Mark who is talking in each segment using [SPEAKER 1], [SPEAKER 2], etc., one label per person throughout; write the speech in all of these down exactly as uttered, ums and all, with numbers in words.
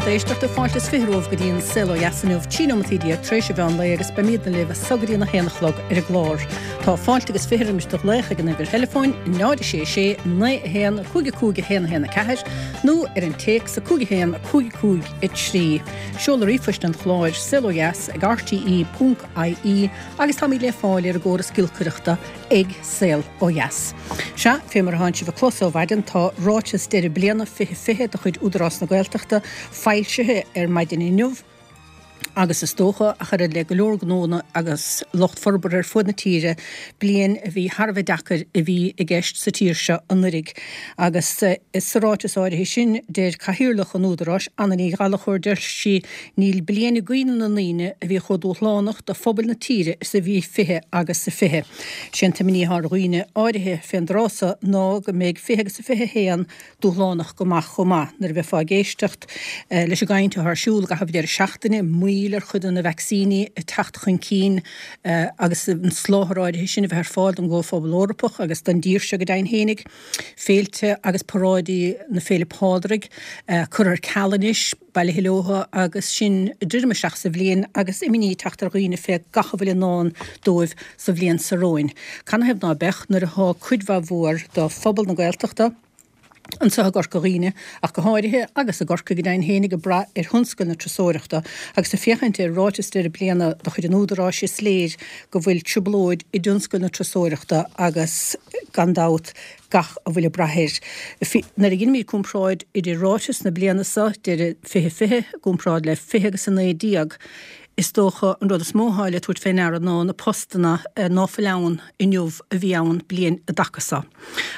[SPEAKER 1] éisteachta fáilte is fiche romhaibh go dtí an Saol Ó Dheas inniu trí nóiméad déag tar éis an mheán lae agus beimidne libh as so go dtí a haon a chlog ar an gclár. Tá fáilte agus fiche roimis do ghlaoch ag an uimhir theileafóin náid sé sé naoi a haon cúig a cúig a haon a haon a ceathair nó ar an téacs a cúig a haon cúig cúig a trí. Seoladh ríomhphoist an chláir saol ó dheas ag RTE ponc IE agus táimid le fáil ar an gcóras giolcaireachta ag Saol Ó Dheas. Sea, fé mar atánn sibh a chlos ó mhaidin tá ráiteas deireadh bliana fiche fiche de chuid Údarás na Gaeltachta foilsithe ar maidin inniu agus is dócha ach oiread le go leor gnónna agus lucht forbartha ar fud na tíre bliain a bhí thar a bheith deacair a bhí i gceist sa tír seo anuraidh. Agus sa ráiteas áirithe sin deir cathaoirleach an Údaráis Anna Ní Ghallchóir deir sí níl bliain i gcuimhne na ndaoine a bhí chomh dúshlánach do phobal na tíre is a bhí fiche agus a fiche. Sé an t-imní atá ar dhaoine áirithe fén dtráth so ná go mbeidh fiche agus a fiche haon dúshlánach go maith chomh maith nuair a bheifeá ag éisteacht leis an gcaint atá ar siúl i gcaitheamh deireadh seachtaine, moill ar chuid de na vacsaíní ag teacht chun cinn agus an soláthar áirithe sin a bheith ar fáil don gComhphobal Eorpach agus don dtír seo go deimhin fhéinig, féilte agus paráidí na Féile Pádraig curtha ar ceal anois, bailithe leotha agus sinn ag druidim isteach sa bhliain agus imní ag teacht ar dhaoine fé gach a bhfuil i ndán dóibh sa bhliain so romhainn. Canathaobh ná beadh nuair atá cuid mhaith mhór de phobal na Gaeltachta, anseo i gCorca Dhuibhne ach go háirithe, agus i gCorcaigh go deimhin fhéinig, ag brath ar thionscal na turasóireachta agus ag féachaint ar ráiteas deireadh bliana de chuid an Údaráis is léir go bhfuil trioblóid i dtionscal na turasóireachta agus gan dabht gach a bhfuil ag brath air. Nuair a dheinimid comparáid idir ráiteas na bliana seo, deireadh fiche fiche, i gcomparáid le fiche agus a naoi déag, is dócha an rud is mó atá le tabhairt fé ndeara ná na postanna ná fuil ann inniu a bhí ann bliain i dtaca so.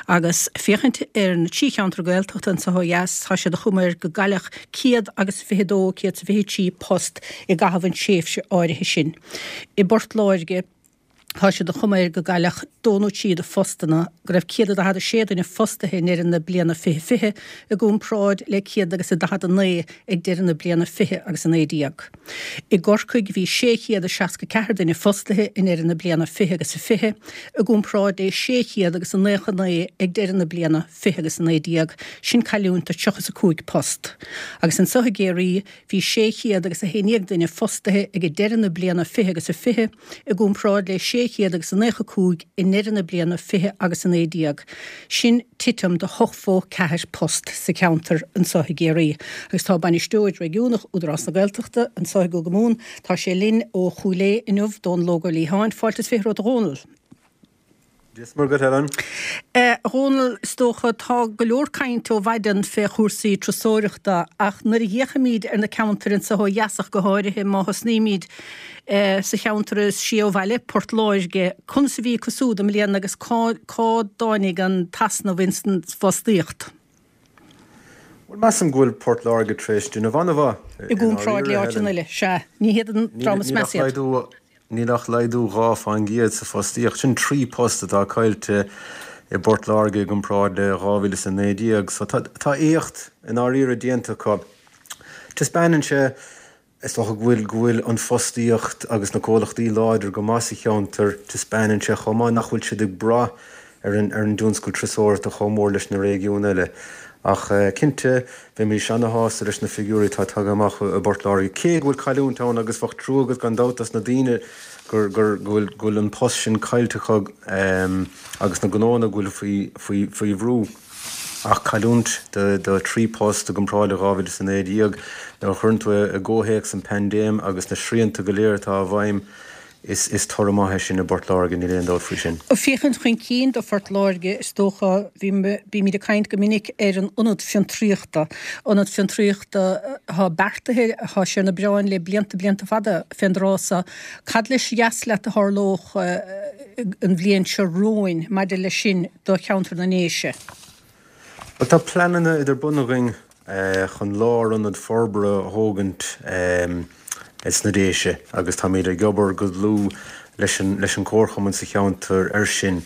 [SPEAKER 1] Agus féachaint ar na trí cheantar Gaeltachta anseo ó dheas, tá sé de chuma air go gcailleadh céad agus fiche dó, céad is fiche trí post i gcaitheamh an tréimhse áirithe sin. I bPort Láirge, tá sé de chuma air go gcailleadh dó nó trí de phostanna, go raibh céad a daichead a sé duine fostaithe i ndeireadh na bliana fiche fiche i gcomparáid le céad agus a daichead a naoi ag deireadh na bliana fiche agus a naoi déag. I gCorcaigh bhí sé chéad a seasca ceathair duine fostaithe i ndeireadh na bliana fiche agus a fiche i gcomparáid le sé chéad agus a naocha naoi ag deireadh na bliana fiche agus a naoi déag, sin cailliúint de tríocha is a cúig post. Agus anseo i gCiarraí bhí sé chéad agus a haon déag duine fostaithe ag deireadh na bliana fiche agus a fiche, i gcomparáid le sé chéad agus a naocha cúig i ndeireadh na bliana fiche agus a naoi déag. Sin titim de hochtó ceathair post sa cheantar anseo i gCiarraí. Agus tá Bainisteoir Réigiúnach Údarás na Gaeltachta anseo i gCúige Mumhan, tá sé linn ó Chúil Aodha inniu, Dónal Óg Ó Liatháin. Fáilte is fiche romhat a Dhónaill.
[SPEAKER 2] Dia is Muire dhuit, Helen.
[SPEAKER 1] A Dhónaill, is dócha, tá go leor cainte ó mhaidin fé chúrsaí turasóireachta ach nuair a fhéachaimid ar na ceantair anseo ó dheas ach go háirithe má thosnaímid sa cheantar is sia ó bhaile, Port Láirge, conas a bhí acu súd i mbliana agus cá cá dtáinig an t-easnamh ins an bhfostaíocht?
[SPEAKER 2] Bhuel, measaim go bhfuil Port Láirge tar éis déanamh an-mhaith
[SPEAKER 1] I
[SPEAKER 2] i
[SPEAKER 1] gcomparáid le
[SPEAKER 2] ndáiríre,
[SPEAKER 1] áiteanna
[SPEAKER 2] Helen.
[SPEAKER 1] eile, sea. Ní hiad an
[SPEAKER 2] Níl
[SPEAKER 1] dream is
[SPEAKER 2] níl ach
[SPEAKER 1] measa iad.
[SPEAKER 2] laghdú Níl ach laghdú dhá faoin gcéad sa fostaíocht. Sin trí post atá caillte i bPort Láirge i gcomparáid le dhá mhíle is a naoi déag. So tá tá éacht i ndáiríre déanta acu. Taispeánann sé, is dócha, go bhfuil go bhfuil an fostaíocht agus na comhlachtaí láidir go maith sa cheantar. Taispeánann sé chomh maith nach bhfuil siad ag brath ar an ar an dtionscal turasóireachta chomh mór leis na réigiúin eile. Ach cinnte, bheimis ana-shásta leis na figiúirí atá tagtha amach i bPort Láirge, cé go bhfuil cailliúint ann agus bheadh trua agat gan dabht dos na daoine gur gur go bhfuil go bhfuil an post sin caillte acu agus na gnóanna go bhfuil faoi faoi faoi bhrú. Ach cailliúint de de trí post i gcomparáid le dhá mhíle is a naoi déag, nuair a chuireann tú é i gcomhthéacs an paindéim agus na srianta go léir atá i bhfeidhm, Is is toradh maith é sin i bPort Láirge, níl aon dabht faoi sin.
[SPEAKER 1] Ag féachaint chun cinn do Phort Láirge, is dócha, bhí bímid ag caint go minic ar an ionad fiontraíochta, ionad fiontraíochta atá beartaithe, atá sé ar na bioráin le blianta, blianta fada fén dtráth so. Cad is dheas leat a tharlódh an bhliain seo romhainn maidir leis sin do cheantar na nDéise?
[SPEAKER 2] Bhuel, tá pleananna idir bun againn chun lárionad forbartha a thógaint sna Déise agus táimid ag obair go dlúth leis an leis an Comharchumann sa cheantar air sin.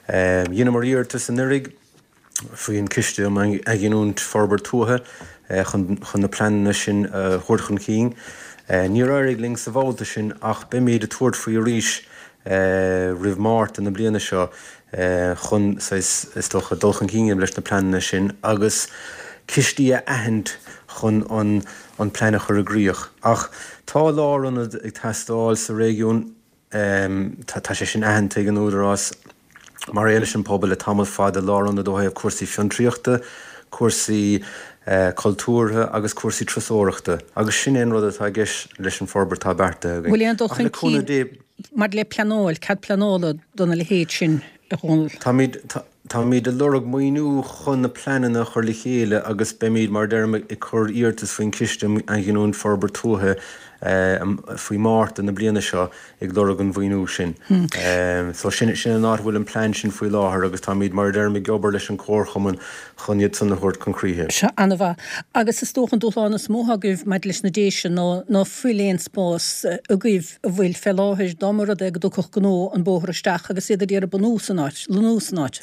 [SPEAKER 2] Dheineamar iarratas anuraidh faoin Ciste um Athghiniúint Forbairt Tuaithe chun chun na pleananna sin a thabhairt chun cinn. Níor éirigh linn sa bhabhta sin ach beimid ag tabhairt faoi arís roimh Márta na bliana seo chun, saghas, is dócha, dul chun cinn leis na pleananna sin agus cistí a aithint chun an an plean a chur i gcrích. Ach tá lárionad ag teastáil sa réigiún, tá tá sé sin aitheanta ag an Údarás mar aon leis an pobal le tamall fada, lárionad ó thaobh cúrsaí fiontraíochta, cúrsaí cultúrtha agus cúrsaí turasóireachta, agus sin é an rud atá i gceist leis an forbairt atá beartaithe againn.
[SPEAKER 1] Bhfuil aon dul chun cinn maidir le pleanáil, cead pleanála dona leithéid sin, a Dhónaill?
[SPEAKER 2] Táimid táimid ag lorg maoiniú chun na pleananna a chur le chéile agus beimid, mar a deirim, ag cur iarratas faoin Chiste um Athghiniúint Forbairt Tuaithe faoi Mhárta na bliana seo ag lorg an mhaoiniú sin. So sin sin an áit a bhfuil an plean sin faoi láthair agus táimid, mar a deirim, ag obair leis an Chomharchumann chun iad san a thabhairt chun críche.
[SPEAKER 1] Sea, an-mhaith. Agus is dócha an dúshlán is mó atá agaibh maidir leis na Déise ná ná fuil aon spás agaibh a bhfuil fé láthair dá mba rud é go dtiocfadh gnó an bóthar isteach agus iad ag iarraidh bunú san áit, lonnú san áit.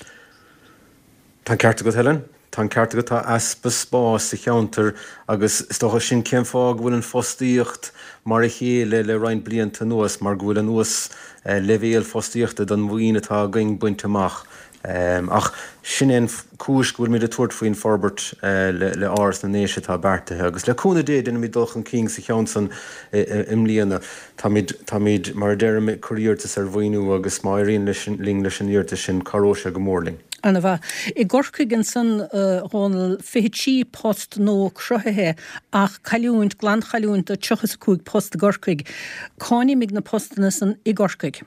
[SPEAKER 2] Tá an ceart agat, Helen. Tá an ceart agat, tá easpa spáis sa cheantar agus is dócha sin cén fáth go bhfuil an fostaíocht mar a chéile le roinnt blianta anuas, mar go bhfuil an uas leibhéal fostaíochta don mhaoin atá againn bainte amach. Ach sin é an cúis go bhfuilimid ag tabhairt faoin forbairt le Áras na nDéise atá beartaithe agus le cúnamh Dé déanfaimid dul chun cinn sa cheann san i mbliana. Táimid, táimid, mar a deirim, ag cur iarratas ar mhaoiniú agus má éiríonn leis, linn leis an iarratas sin, cabhróidh sé go mór linn.
[SPEAKER 1] An-mhaith. I gCorcaigh ansan, a Dhónaill, fiche trí post nua cruthaithe ach cailliúint, glanchailliúint de tríocha is a cúig post i gCorcaigh. Cá n-imigh na postanna san i gCorcaigh?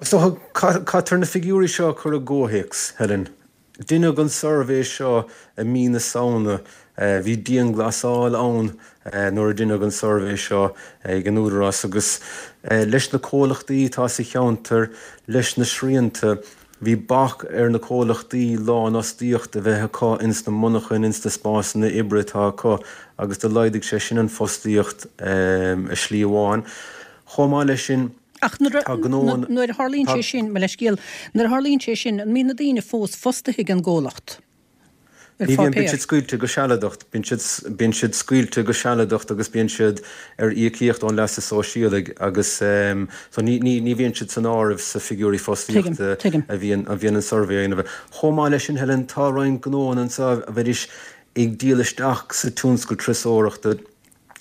[SPEAKER 2] Is dócha, caithfear na figiúirí seo a chur i gcomhthéacs, Helen. Deineadh an suirbhé seo i mí na Samhna. Bhí dianghlasáil ann nuair a deineadh an suirbhé seo ag an Údarás agus leis na comhlachtaí atá sa cheantar, leis na srianta, bhí bac ar na comhlachtaí lánfhostaíocht a bheith acu ins na monarchain, ins na spásanna oibre atá acu agus do laghdaigh sé sin an fostaíocht i slí amháin. Chomh maith leis sin,
[SPEAKER 1] Ach nuair a nuair a tharlaíonn sé sin, mo leithscéal, nuair a tharlaíonn sé sin, an mbíonn na daoine fós fostaithe ag an gcomhlacht? Ar
[SPEAKER 2] Ní bhíonn, bíonn
[SPEAKER 1] pháipéar?
[SPEAKER 2] siad scaoilte go sealadach, bíonn siad, bíonn siad scaoilte go sealadach agus bíonn siad ar íocaíocht ón leasa sóisialaigh agus so ní, ní, ní bhíonn siad san áireamh sa figiúirí
[SPEAKER 1] Tuigim,
[SPEAKER 2] fostaíochta
[SPEAKER 1] tuigim.
[SPEAKER 2] a bhíonn, a bhíonn an suirbhé a dhéanamh. Chomh maith leis sin, Helen, tá roinnt gnóanna anseo a bheidís ag díol isteach sa tionscal turasóireachta,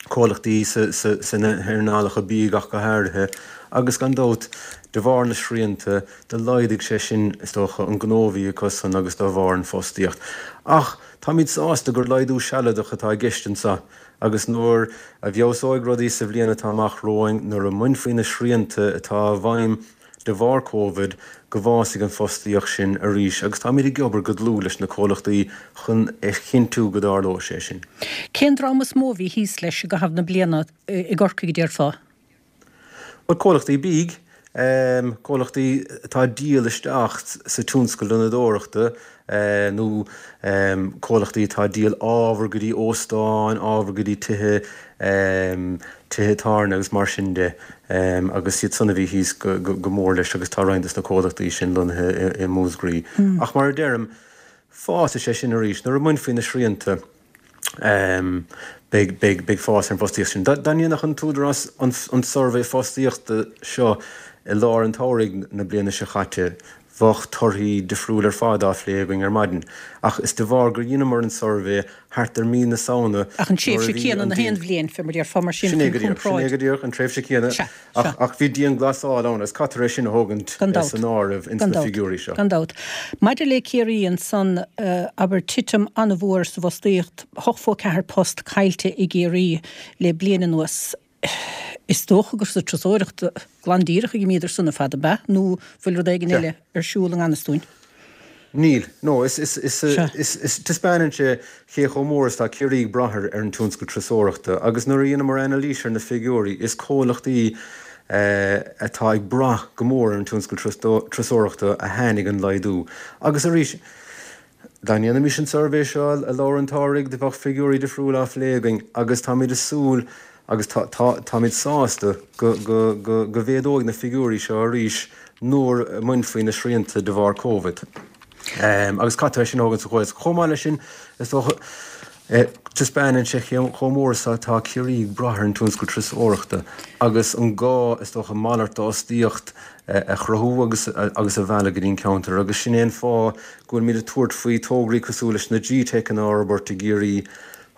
[SPEAKER 2] comhlachtaí sna hearnálacha bídh ach go háirithe, agus gan dabht, de bharr na srianta, do laghdaigh sé sin, is dócha, an gnó a bhí acusan agus dá bharr an fostaíocht. Ach táimid sásta gur laghdú sealadach atá i gceist anseo agus nuair a bhfeabhsóidh rudaí sa bhliain atá amach romhainn, nuair a mbainfí na srianta atá i bhfeidhm de bharr Covid, go bhfásfaidh an fostaíocht sin arís agus táimid ag obair go dlúth leis na comhlachtaí chun a chinntiú go dtarlóidh sé sin.
[SPEAKER 1] Cén dream is mó a bhí thíos leis i gcaitheamh na bliana i gCorcaigh, a déarfá?
[SPEAKER 2] Bhuel, comhlachtaí bídh, comhlachtaí atá ag díol isteach sa tionscal lonnadóireachta nó comhlachtaí atá ag díol ábhar go dtí óstáin, ábhar go dtí tithe, tithe tábhairne agus mar sin de agus iad san a bhí thíos go mór leis agus tá roinnt de na comhlachtaí sin lonnaithe i Múscraí. Ach mar a deirim, fásfaidh sé sin arís nuair a mbainfí na srianta, beidh, beidh, beidh fás ar an bhfostaíocht sin. Dá ndéanfadh an tÚdarás an suirbhé fostaíochta seo i lár an tsamhraidh na bliana seo chaite, bheadh torthaí difriúil ar fad á phlé againn ar maidin. Ach is de bharr gur dheineamar an suirbhé thart ar mí na Samhna
[SPEAKER 1] Ach an
[SPEAKER 2] nuair a
[SPEAKER 1] tréimhse
[SPEAKER 2] bhí
[SPEAKER 1] céanna
[SPEAKER 2] an
[SPEAKER 1] na haon bhliain, fé mar déarfá, mar sin
[SPEAKER 2] Sin é
[SPEAKER 1] chun
[SPEAKER 2] go díreach, sin é
[SPEAKER 1] comparáid.
[SPEAKER 2] go díreach, an tréimhse chéanna.
[SPEAKER 1] Sea,
[SPEAKER 2] Ach,
[SPEAKER 1] sea.
[SPEAKER 2] ach bhí dianghlasáil ann agus caithfear é sin a thógaint
[SPEAKER 1] Gan dabht.
[SPEAKER 2] san áireamh ins
[SPEAKER 1] Gan
[SPEAKER 2] na
[SPEAKER 1] dabht.
[SPEAKER 2] figiúirí seo.
[SPEAKER 1] Gan dabht. Maidir le Ciarraí ansan, abair, titim an-mhór sa bhfostaíocht, hocht phonc ceathair post caillte i gCiarraí le bliain anuas. Is dócha gur sa turasóireacht glan díreach a dh'imíodar san ar fad, ab ea? Nó bhfuil rud éigin
[SPEAKER 2] Sea.
[SPEAKER 1] eile ar siúl i ngan fhios dúinn?
[SPEAKER 2] Níl. No, is, is, is,
[SPEAKER 1] Sea.
[SPEAKER 2] is, is, taispeánann sé cé chomh mór is atá Ciarraí ag brath ar an tionscal turasóireachta agus nuair a dheineamar anailís ar na figiúirí, is comhlachtaí atá ag brath go mór ar an tionscal turasóireachta a tháinig an laghdú. Agus arís, dá ndéanfaimis an suirbhé seo i lár an tsamhraidh, do bheadh figiúirí difriúla á phlé againn agus táimid ag súil agus tá, tá, táimid sásta go, go, go, go mhéadóidh na figiúirí seo arís nuair a mbainfí na srianta de bharr Covid. Agus caithfear é sin a thógaint sa chomhthéacs. Chomh maith leis sin, is dócha, taispeánann sé chomh mór is atá Ciarraí ag brath ar an tionscal turasóireachta agus an gá, is dócha, malairt d'fhostaíocht a chruthú agus agus a mhealladh go dtí an ceantar agus sin é an fáth go bhfuilimid ag tabhairt faoi tograí cosúil leis na G-TECanna a fhorbairt i gCiarraí,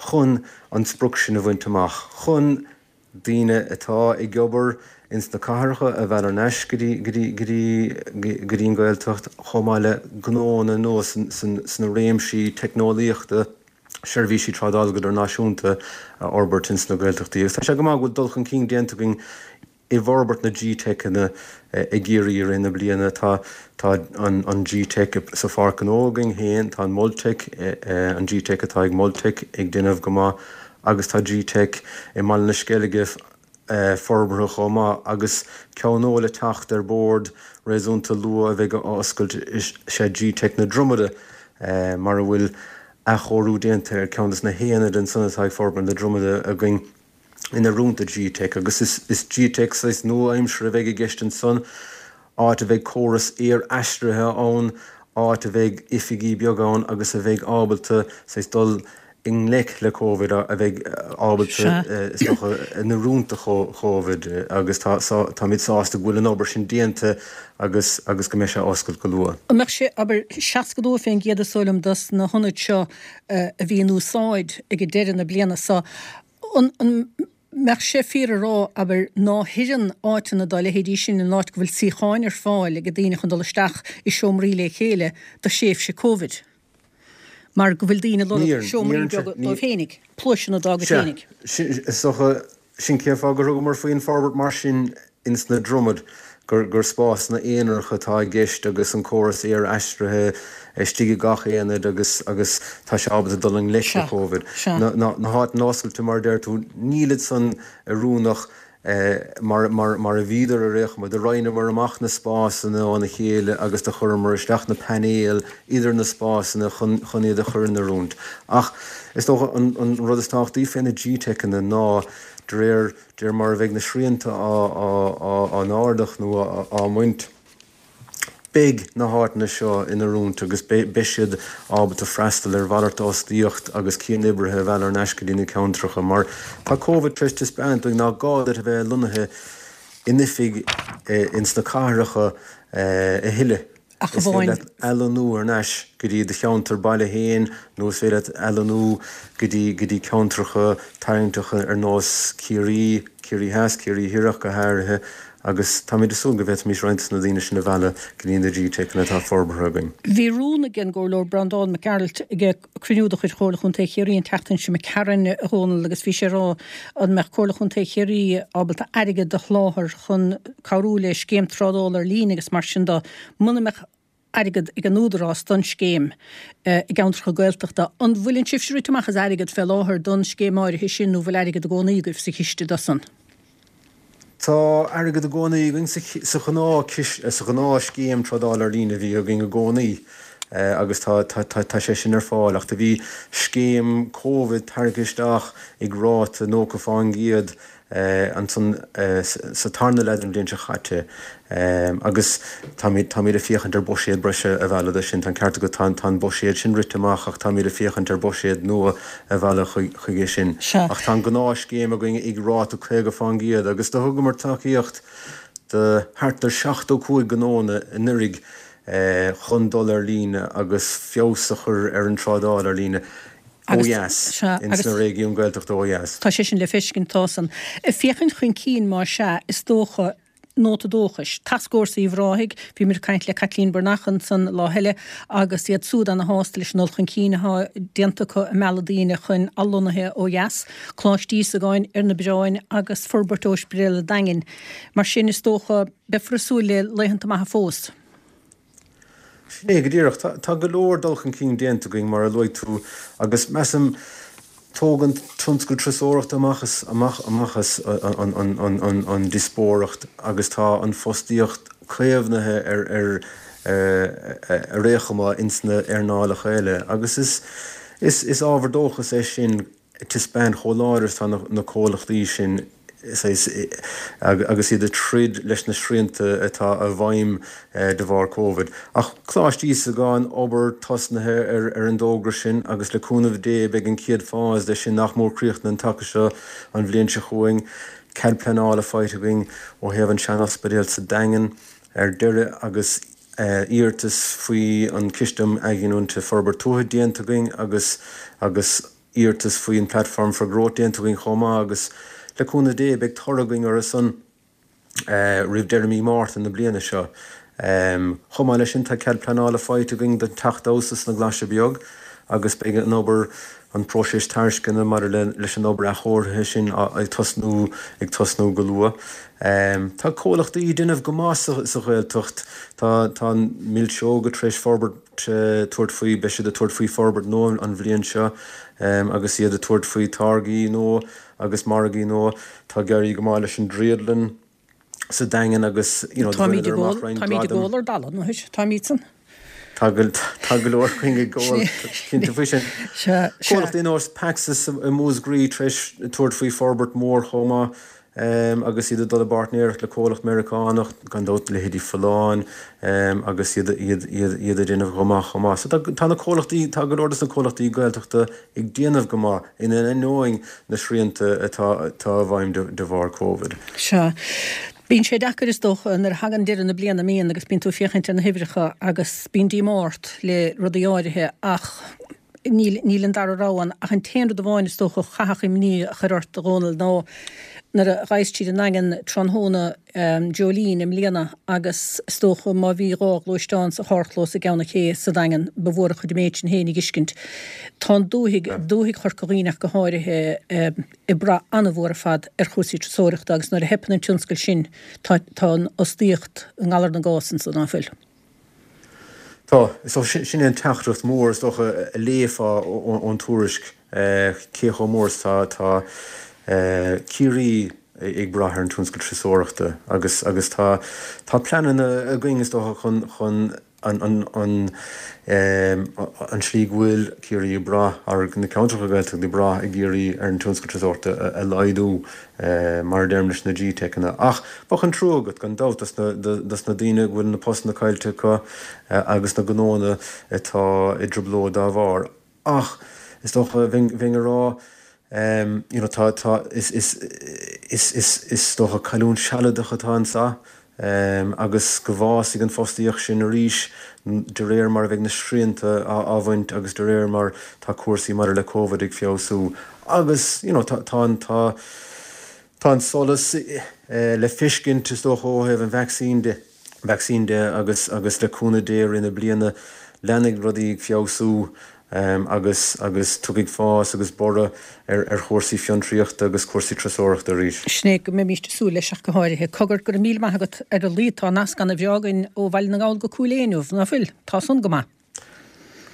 [SPEAKER 2] chun an sprioc sin a bhaint amach, chun daoine atá ag obair ins na cathracha a mhealladh ar ais go dtí go dtí go dtí go dtí an Ghaeltacht, chomh maith le gnóanna nua sna réimsí teicneolaíochta, seirbhísí trádála go idirnáisiúnta a fhorbairt ins na Gaeltachtaí. Agus tá sé go maith go bhfuil dul chun cinn déanta againn i bhforbairt na G-Teiceanna i gCiarraí i rith na bliana. Tá tá an an G-Teic sa Pháirc Ghnó againn féin, tá an Multec, an G-Teic atá ag Multec ag déanamh go maith agus tá G-Teic i mBaile na Sceilge forbartha chomh maith agus ceann nua le teacht ar bord réasúnta luath a bheidh á oscailt is ea G-Teic na Dromada mar a bhfuil athchóiriú déanta ar ceann de na haonaid ansan atá ag Forbairt na Dromada againn in oiriúint do G-Teic agus is G-Teic saghas nua-aimseartha a bheidh i gceist ansan, áit a bheidh córas aer-aistrithe ann, áit a bheidh oifigí beaga ann agus a bheidh ábalta saghas dul i ngleic le Covid, a bheidh ábalta is dócha in oiriúint do Covid agus tá táimid sásta go bhfuil an obair sin déanta agus agus go mbeidh sé oscailt go luath.
[SPEAKER 1] An mbeadh sé, abair, seasca dó fén gcéad is dóigh liom dos na hionaid seo a bhí in úsáid ag deireadh na bliana seo, an mbeadh sé fíor a rá, abair, ná hoireann áiteanna dá leithéidí sin in áit go bhfuil suíocháin ar fáil ag daoine chun dul isteach i seomraí le chéile do thréimhse Covid? Mar go bhfuil daoine ag lorg seomraí beaga dóibh féinig, pluaiseanna dá gcuid féinig.
[SPEAKER 2] Sea, is dócha, sin cén fáth gur thugamar faoin forbairt mar sin ins na Dromaid, gur gur spásanna aonaracha atá i gceist agus an córas aer-aistrithe istigh i gach aonad agus agus tá sé ábalta dul i ngleic le Covid. Na na háiteanna oscailte mar a deir tú, nílid san oiriúnach Mar mar a bhíodar ar aon chuma, do roinneamar amach na spásanna óna chéile agus do chuireamar isteach na painéil idir na spásanna chun chun iad a chur in oiriúint. Ach is dócha an an rud is tábhachtaí fé na G-Teiceanna ná de réir de réir mar a bheidh na srianta á á á á n-ardach nó á á mbaint, Beidh na háiteanna seo in oiriúint agus beidh siad ábalta freastal ar mhalairt d'fhostaíocht agus cianoibrithe a mhealladh ar ais go dtí na ceantracha mar tá Covid tar éis taispeáint dúinn nach gá duit a bheith lonnaithe in oifig ins na cathracha a thuilleadh.
[SPEAKER 1] Ach
[SPEAKER 2] Is féidir
[SPEAKER 1] amháin.
[SPEAKER 2] leat athlonnú ar ais go dtí do cheantar baile féin nó is féidir leat athlonnú go dtí go dtí ceantracha tarraingteacha ar nós Ciarraí, Ciarraí Theas, Ciarraí Thiar ach go háirithe. Agus táimid ag súil go bhféadfaimis roinnt de na daoine sin a mhealladh go dtí na G-Teiceanna atá forbartha againn.
[SPEAKER 1] Bhí rún ag an gComhairleoir Breandán Mac Gearailt ag cruinniú de chuid Chomhairle Chontae Chiarraí an tseachtain seo imigh tharainn, a Dhónaill, agus bhí sé ag rá an mbeadh Comhairle Chontae Chiarraí ábalta airgead a sholáthar chun cabhrú le scéim trádála ar líne agus mar sin de, muna mbeadh airgead ag an Údarás don scéim i gceantracha Gaeltachta. An bhfuileann sibhse rite amach as airgead fé láthair don scéim áirithe sin nó bhfuil airgead i gcónaí agaibh sa chiste dó san?
[SPEAKER 2] Tá airgead i gcónaí againn sa ghnáth sa ghnáth-scéim trádála ar líne a bhí againn i gcónaí agus tá tá sé sin ar fáil ach do bhí scéim Covid tarraingthe isteach ag ráta nócha fán gcéad ansan sa tarna leath den bhliain seo chaite agus táimid táimid ag féachaint ar buiséad breise a mhealladh do sin. Tá an ceart agat, tá an buiséad sin rite amach ach táimid ag féachaint ar buiséad nua a mhealladh chuige sin.
[SPEAKER 1] Sea.
[SPEAKER 2] Ach tá an gnáthscéim againn ag ráta caoga fán gcéad agus do thugamar tacaíocht do thart ar seachtó cúig gnóanna anuraidh chun dul ar líne agus feabhas a chur ar an trádáil ar líne ó
[SPEAKER 1] Agus,
[SPEAKER 2] dheas,
[SPEAKER 1] sea,
[SPEAKER 2] ins
[SPEAKER 1] agus
[SPEAKER 2] na réigiúin Gaeltachta ó dheas.
[SPEAKER 1] tá sé sin le feiscint, tá san. Ag féachaint chun cinn, más ea, is dócha, nóta dóchais. Tascfhórsa Uíbh Ráthaigh, bhí muid ag caint le Caitlín Breathnach ansan lá eile agus iad súd ana shásta leis an dul chun cinn atá déanta acu ag mealladh daoine chun athlonnaithe ó dheas, Coláiste Íosagáin ar na bioráin agus forbairt Ospidéal an Daingin. Mar sin is dócha beifear ag súil le laethanta maithe fós.
[SPEAKER 2] Sin é go díreach. Tá go leor dul chun cinn déanta againn, mar a luaigh tú, agus measaim, tóg an tionscal turasóireachta amach as amach amach as an díospóireacht agus tá an fostaíocht caomhnaithe ar ar ar aon chuma ins na earnálacha eile agus is is is ábhar dóchais é sin ag taispeáint chomh láidir is atá na comhlachtaí sin agus iad ag troid leis na srianta atá i bhfeidhm de bharr Covid. Ach Coláiste Íosagáin, obair tosnaithe ar an dtógra sin agus le cúnamh Dé beidh an chéad phase de sin nach mór críochnaithe an taca seo an bhliain seo chugainn. Cead pleanála faighte againn ó thaobh an sean-ospidéal sa Daingean ar deireadh agus iarratas faoi an Ciste um Athghiniúint Forbairt Tuaithe déanta againn agus agus iarratas faoin Platform for Growth déanta againn chomh maith agus le cúnamh Dé beidh toradh againn orthu san roimh deireadh mí Márta na bliana seo. Chomh maith leis sin tá cead pleanála faighte againn don teach damhsa sna Glaise Beag agus beidh an obair, an próiseas tairisceana maidir leis an obair athchóirithe sin ag tosnú ag tosnú go luath. Tá comhlachtaí ag déanamh go maith sa Ghaeltacht. Tá tá an Milseoga tar éis forbairt tabhairt faoi, beidh siad ag tabhairt faoi forbairt nua an bhliain seo agus iad ag tabhairt faoi táirgí nua agus margaí nua. Tá ag éirí go maith leis an Driodlann sa Daingean agus you know
[SPEAKER 1] Táimid ag gol táimid ag gol ar dalladh, nó táimid san.
[SPEAKER 2] Tá go tá go leor againn ag gol cinnte faoi sin.
[SPEAKER 1] Sea, sea.
[SPEAKER 2] Comhlachtaí ar nós Paxis i Múscraí tar éis tabhairt faoi forbairt mór chomh maith agus iad ag dul i bpáirtnéireacht le comhlacht Meiriceánach, gan dabht leithéidí Folláin agus iad iad iad iad ag déanamh go maith chomh maith. So tá tá na comhlachtaí tá go leor dos na comhlachtaí Gaeltachta ag déanamh go maith in ainneoin na srianta atá atá i bhfeidhm de de bharr Covid.
[SPEAKER 1] Sea. Bíonn sé deacair is dócha nuair a thagann deireadh na bliana mbíonn agus bíonn tú ag féachaint ar na huimhreacha agus bíonn díomá ort le rudaí áirithe ach níl níl an dara rogha ann ach an t-aon rud amháin is dócha a chaithfeadh imní a chur ort a Dhónaill ná nuair a ghabhas tríd an nDaingean tráthnóna Jolene i mbliana agus is dócha má bhí dhá ghluaisteán sa charrchlós i gCeann an Ché sa Daingean ba mhór an chuid an méid sin féin a dh'fheiscint. Tá an dúthaigh, dúthaigh Chorca Dhuibhne ach go háirithe, ag brath an-mhór ar fad ar chúrsaí turasóireachta agus nuair a theipeann an tionscal sin tá tá an fhostaíocht i ngalar na gcás ansan, ná fuil?
[SPEAKER 2] Tá. So sin é an teachtaireacht mhór is dócha a léifeá ón tuairisc, cé chomh mór is tá tá Ciarraí ag brath ar an tionscal turasóireachta agus agus tá tá pleananna againn is dócha chun chun an an tslí go bhfuil Ciarraí ag brath, ar na ceantracha Gaeltachta ag brath i gCiarraí ar an tionscal turasóireachta a laghdú, mar a deirim leis na GTeiceanna. Ach bheadh an trua agat, gan dabht, dos na daoine go bhfuil na postanna caillte acu agus na gnóanna atá i dtrioblóid dá bharr. Ach is dócha, bheinn ag rá, you know, tá, tá, is, is, is, is, is dócha cailliúint sealadach atá anseo agus go bhfásfaidh an fostaíocht sin arís de réir mar a bheidh na srianta á bhaint agus de réir mar tá cúrsaí maidir le Covid ag feabhsú. Agus, you know, tá, tá an, tá, tá an solas le feiscint, is dócha, ó thaobh an vacsaín de. vacsaín de agus agus le cúnamh Dé i rith na bliana leanfaidh rudaí ag feabhsú agus agus tiocfaidh fás agus borradh ar ar chúrsaí fiontraíochta agus cúrsaí turasóireachta arís.
[SPEAKER 1] Sin é go mbeimíst ag súil leis ach go háirithe. Cogar, go raibh míle maith agat ar a laghad tá nasc ana bhreá againn ó Bhaile na nGall go Cúil Aodha inniu, ná fuil? Tá san go maith.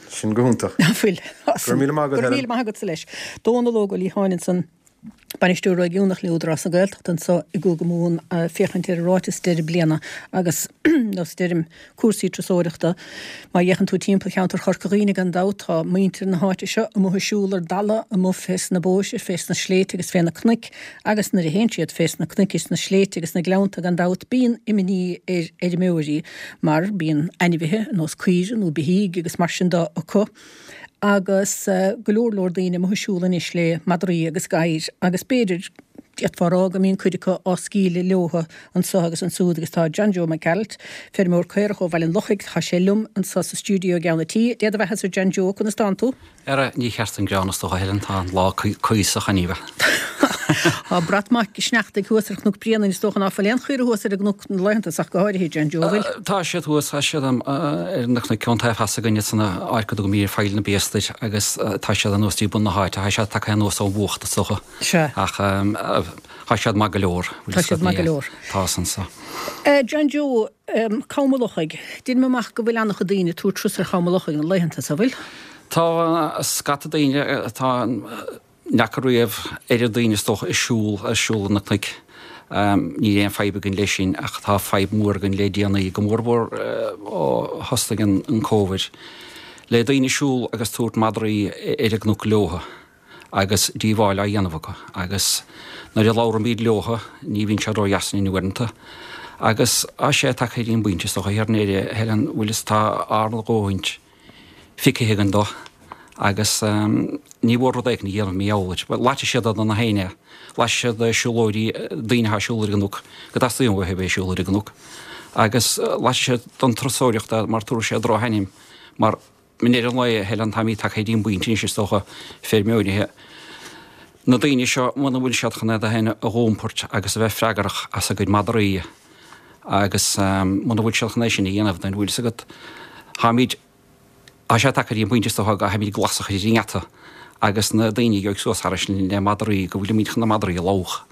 [SPEAKER 2] Sin go hiontach.
[SPEAKER 1] Ná fuil?
[SPEAKER 2] Go raibh míle maith agat,
[SPEAKER 1] Go raibh
[SPEAKER 2] Helen.
[SPEAKER 1] míle maith agatsa leis. Dónal Óg Ó Liatháin ansan. Bainisteoir Réigiúnach le Údarás na Gaeltachta anseo i gCúige Mumhan ag féachaint ar an ráiteas deireadh bliana agus nós deirim cúrsaí turasóireachta. Má fhéachann tú timpeall cheantar Chorca Dhuibhne gan dabht tá muintir na háite seo amuigh ag siúl ar dalladh amuigh fés na bóithre, fés na sléibhte agus fé na cnoic agus nuair a théann siad fés na cnoic is na sléibhte agus na gleannta gan dabht bíonn imní ar fheirmeoirí mar bíonn ainmhithe ar nós caoire nó beithígh agus mar sin de acu. agus go leor leor daoine amuigh ag siúl anois le madraí agus gadhair agus b'fhéidir, d'fhéadfá a rá go mbíonn cuid acu á scaoileadh leothu anso agus ansúd agus tá John Joe Mac Gearailt, feirmeoir caorach ó Bhaile an Lochaigh, tá sé liom anso sa stiúideo i gceann an tí. Dé do bheathasa a John Joe, conas tánn tú?
[SPEAKER 3] Ara, ní cheart an greann is dócha, a Helen, tá an lá cuíosach an bheith.
[SPEAKER 1] Tá brat maith sneachtaidh thuas ar Chnoc Bréanainn, is dócha ná fuil aon chaora thuas ar an gcnoc na laethanta so ach go háirithe, John Joe, bhfuil?
[SPEAKER 3] Tá siad thuas, tá siad ar na cnoic ón taobh theas againne san áit go dtugaimid Faill na Biastair agus tá siad anuas dtí bun na háite, tá siad tagtha anuas ón bhfuacht is dócha.
[SPEAKER 1] Sea.
[SPEAKER 3] Ach tá siad maith go leor.
[SPEAKER 1] Tá siad maith go leor.
[SPEAKER 3] Tá san so.
[SPEAKER 1] John Joe, Cam an Lochaigh, deinim amach go bhfuil an-chuid daoine ag tabhairt turas ar Cham an Lochaigh na laethanta so, bhfuil?
[SPEAKER 3] Tá scata daoine, tá ní fhaca riamh oiread daoine is dócha ag siúl, ag siúl ar na cnoic. Níl aon fadhb againn leis sin ach tá fadhb mhór againn le déanaí, go mór mhór ó thosnaigh an Covid, le daoine ag siúl agus tabhairt madraí ar an gcnoc leothu agus díobháil á dhéanamh acu agus nuair a labhraímid leothu ní bhíonn sé ródheas linn uaireanta. Agus tá sé tagtha go dtí an bpointe is dócha, a Helen, bhfuil fhios tá ár ndóthaint feicthe againn dó agus ní mhór rud éigin a dhéanamh mar gheall air. Bhuel, loitfidh siad do na héinne, loitfidh siad do siúlóirí, daoine atá ag siúl ar an gcnoc, go dteastaíonn uathu a bheith ag siúl ar an gcnoc, agus loitfidh siad don turasóireacht é mar tabharfaidh sé drochainm mar I ndeireadh an lae, a Helen, táimid tagtha go dtí an bpointe anois is dócha, feirmeoirithe, na daoine seo, muna bhfuil siad chun iad féin a dh'iompairt agus a bheith freagrach as a gcuid madraí agus muna bhfuil siad chun é sin a dhéanamh, then bhfuil fhios agat, táimid, tá sé tagtha go dtí an bpointe is dócha go gcaithfimid glas a chur ar an ngeata agus na daoine a gheobhaidh suas thairis le madraí, go bhfuilimid chun na madraí a lobhadh.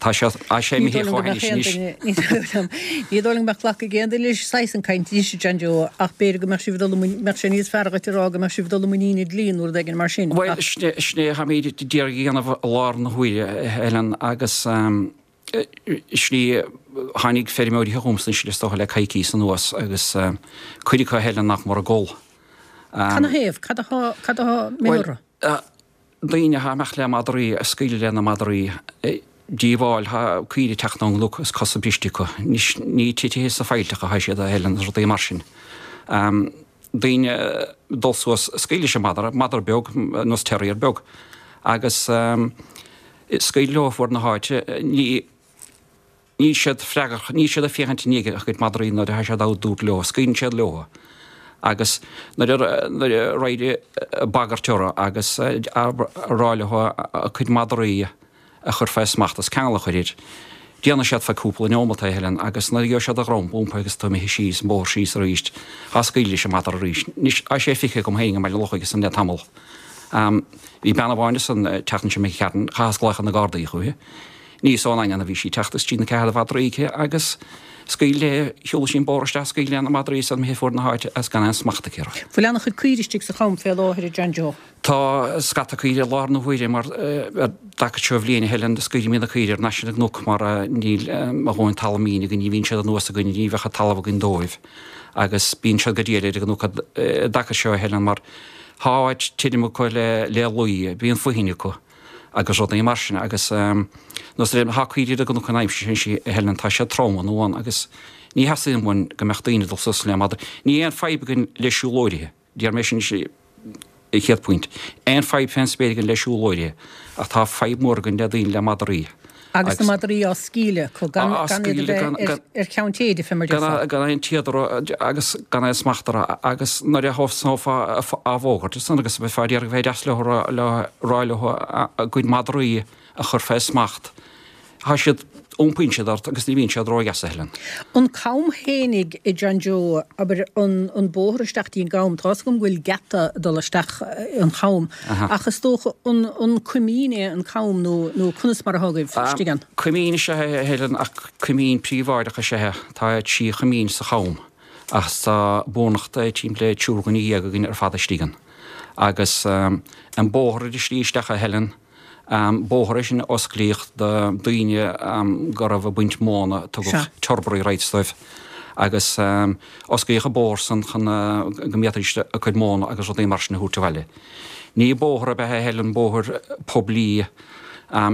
[SPEAKER 3] Tá sé tá sé
[SPEAKER 1] Ní
[SPEAKER 3] imithe
[SPEAKER 1] dóigh liom go
[SPEAKER 3] chomh
[SPEAKER 1] mbeadh
[SPEAKER 3] hainnis
[SPEAKER 1] aon
[SPEAKER 3] anois.
[SPEAKER 1] duine, ní dóigh liom, ní dóigh liom go mbeadh glacadh ag aon duine leis saghas an caint anois, a John Joe, ach b'fhéidir go mbeadh sibh ag dul i muin, mbeadh sé níos fearr dhuit a rá go mbeadh sibh ag dul i muinín an dlí nó rud éigin mar sin,
[SPEAKER 3] Bhuel,
[SPEAKER 1] ach.
[SPEAKER 3] sin é, sin é a tháimid d'iarraidh a dhéanamh i lár na huaire, a Helen, agus sin é, tháinig feirmeoirí chugamsa anois is dócha le coicíos anuas agus cuid acu, a Helen, nach mór ag gol.
[SPEAKER 1] Cad 'na thaobh? Cad atá, cad atá
[SPEAKER 3] Bhuel,
[SPEAKER 1] imithe orthu?
[SPEAKER 3] daoine atá ag imeacht le madraí, ag scaoileadh le na madraí, díobháil, tá caoire ag teacht ón gcnoc is cosa briste acu. Anois ní titithe sa phailteach atá siad a Helen is rudaí mar sin. Daoine dul suas, scaoileadh leis an madra, madra beag, nós terrier beag, agus scaoileadh leo fuar na háite, ní, Níl siad freagrach, níl siad ag féachaint i ndiaidh a gcuid madraí nuair atá siad á dtabhairt leo, scaoileann siad leo agus nuair a nuair a raghaidh ag bagairt orthu agus a rá leo a gcuid madraí a chur fé smacht is ceangal a chur air, déanfaidh siad fé cúpla neomat é, a Helen, agus nuair a gheobhaidh siad a dhrom iompaithe agus atá imithe síos an bóthar síos arís, á scaoileadh leis an madra arís. Anois, tá sé feicthe agam féin i mBaile an Lochaigh ansan le tamall. Bhí bean amháin ansan an tseachtain seo imigh tharainn, chaitheas glaoch ar na Gardaí chúithi. Ní as an nDaingean a bhí sí ag teacht is trí na ceathair de mhadraí aici agus scaoil léi, shiúil sí an bóthar isteach, scaoil léi na madraí is iad imithe fuar na háite agus gan aon smacht aici orthu.
[SPEAKER 1] Bhfuil an-chuid caoire istigh sa cham fé láthair, a John Joe?
[SPEAKER 3] Tá scata caoire i láthair na huaire mar ar dtaca seo bhliain a Helen scaoilimid na caoire thar n-ais ar an gcnoc mar níl a dhóthain talamh mín againn, ní bhíonn siad anuas againn, ní bheadh talamh againn dóibh agus bíonn siad go diail ar an gcnoc i dtaca seo a Helen mar tá áit tirim acu le le luí, bíonn fothain acu. agus rudaí mar sin agus nós ar tá caoirigh ar an gcnoc an aimsir sin a Helen tá siad trom an uan agus ní theastaíonn uainn go mbeadh daoine ag dul suas le madra. Ní aon fadhb againn le siúlóirithe, déarfaidh mé sin an chéad phointe. Aon fadhb fén spéir againn le siúlóirithe ach tá fadhb mhór againn le daoine le madraí.
[SPEAKER 1] Agus na madraí á scaoileadh acu, gan gan iad a bheith ar cheann téide, fé mar a déarfá.
[SPEAKER 3] Gan aon téad orthu agus gan aon smacht orthu agus nuair a thosnófá á bhfógairt ansan agus a bheifeá ag iarraidh a bheith deas leo a rá leo a gcuid madraí a chur fé smacht, tá siad, iompaíonn siad ort agus ní bhíonn siad ródheas a Helen.
[SPEAKER 1] An cam fhéinig a John Joe, abair, an an bóthar isteach dtí an gcam, tá's agam go bhfuil geata ag dul isteach an cham, ach is dócha an an coimín é an cam nó nó conas mar atá agaibh istigh ann?
[SPEAKER 3] Coimín is ea é a Helen ach coimín príobháideach is ea é. Tá trí choimín sa cham ach tá beagnach timpeall le triúr dhuine dhéag againn ar fad istigh ann. Agus an bóthar ar an slí isteach a Helen, Bóthar é sin a osclaíodh do daoine go raibh ag baint móna, tugadh turbary rights dóibh, agus osclaíodh an bóthar san chun go bhféadfaidís a gcuid móna agus rudaí mar sin a thabhairt abhaile. Ní bóthar ab ea é a Helen, bóthar poiblí,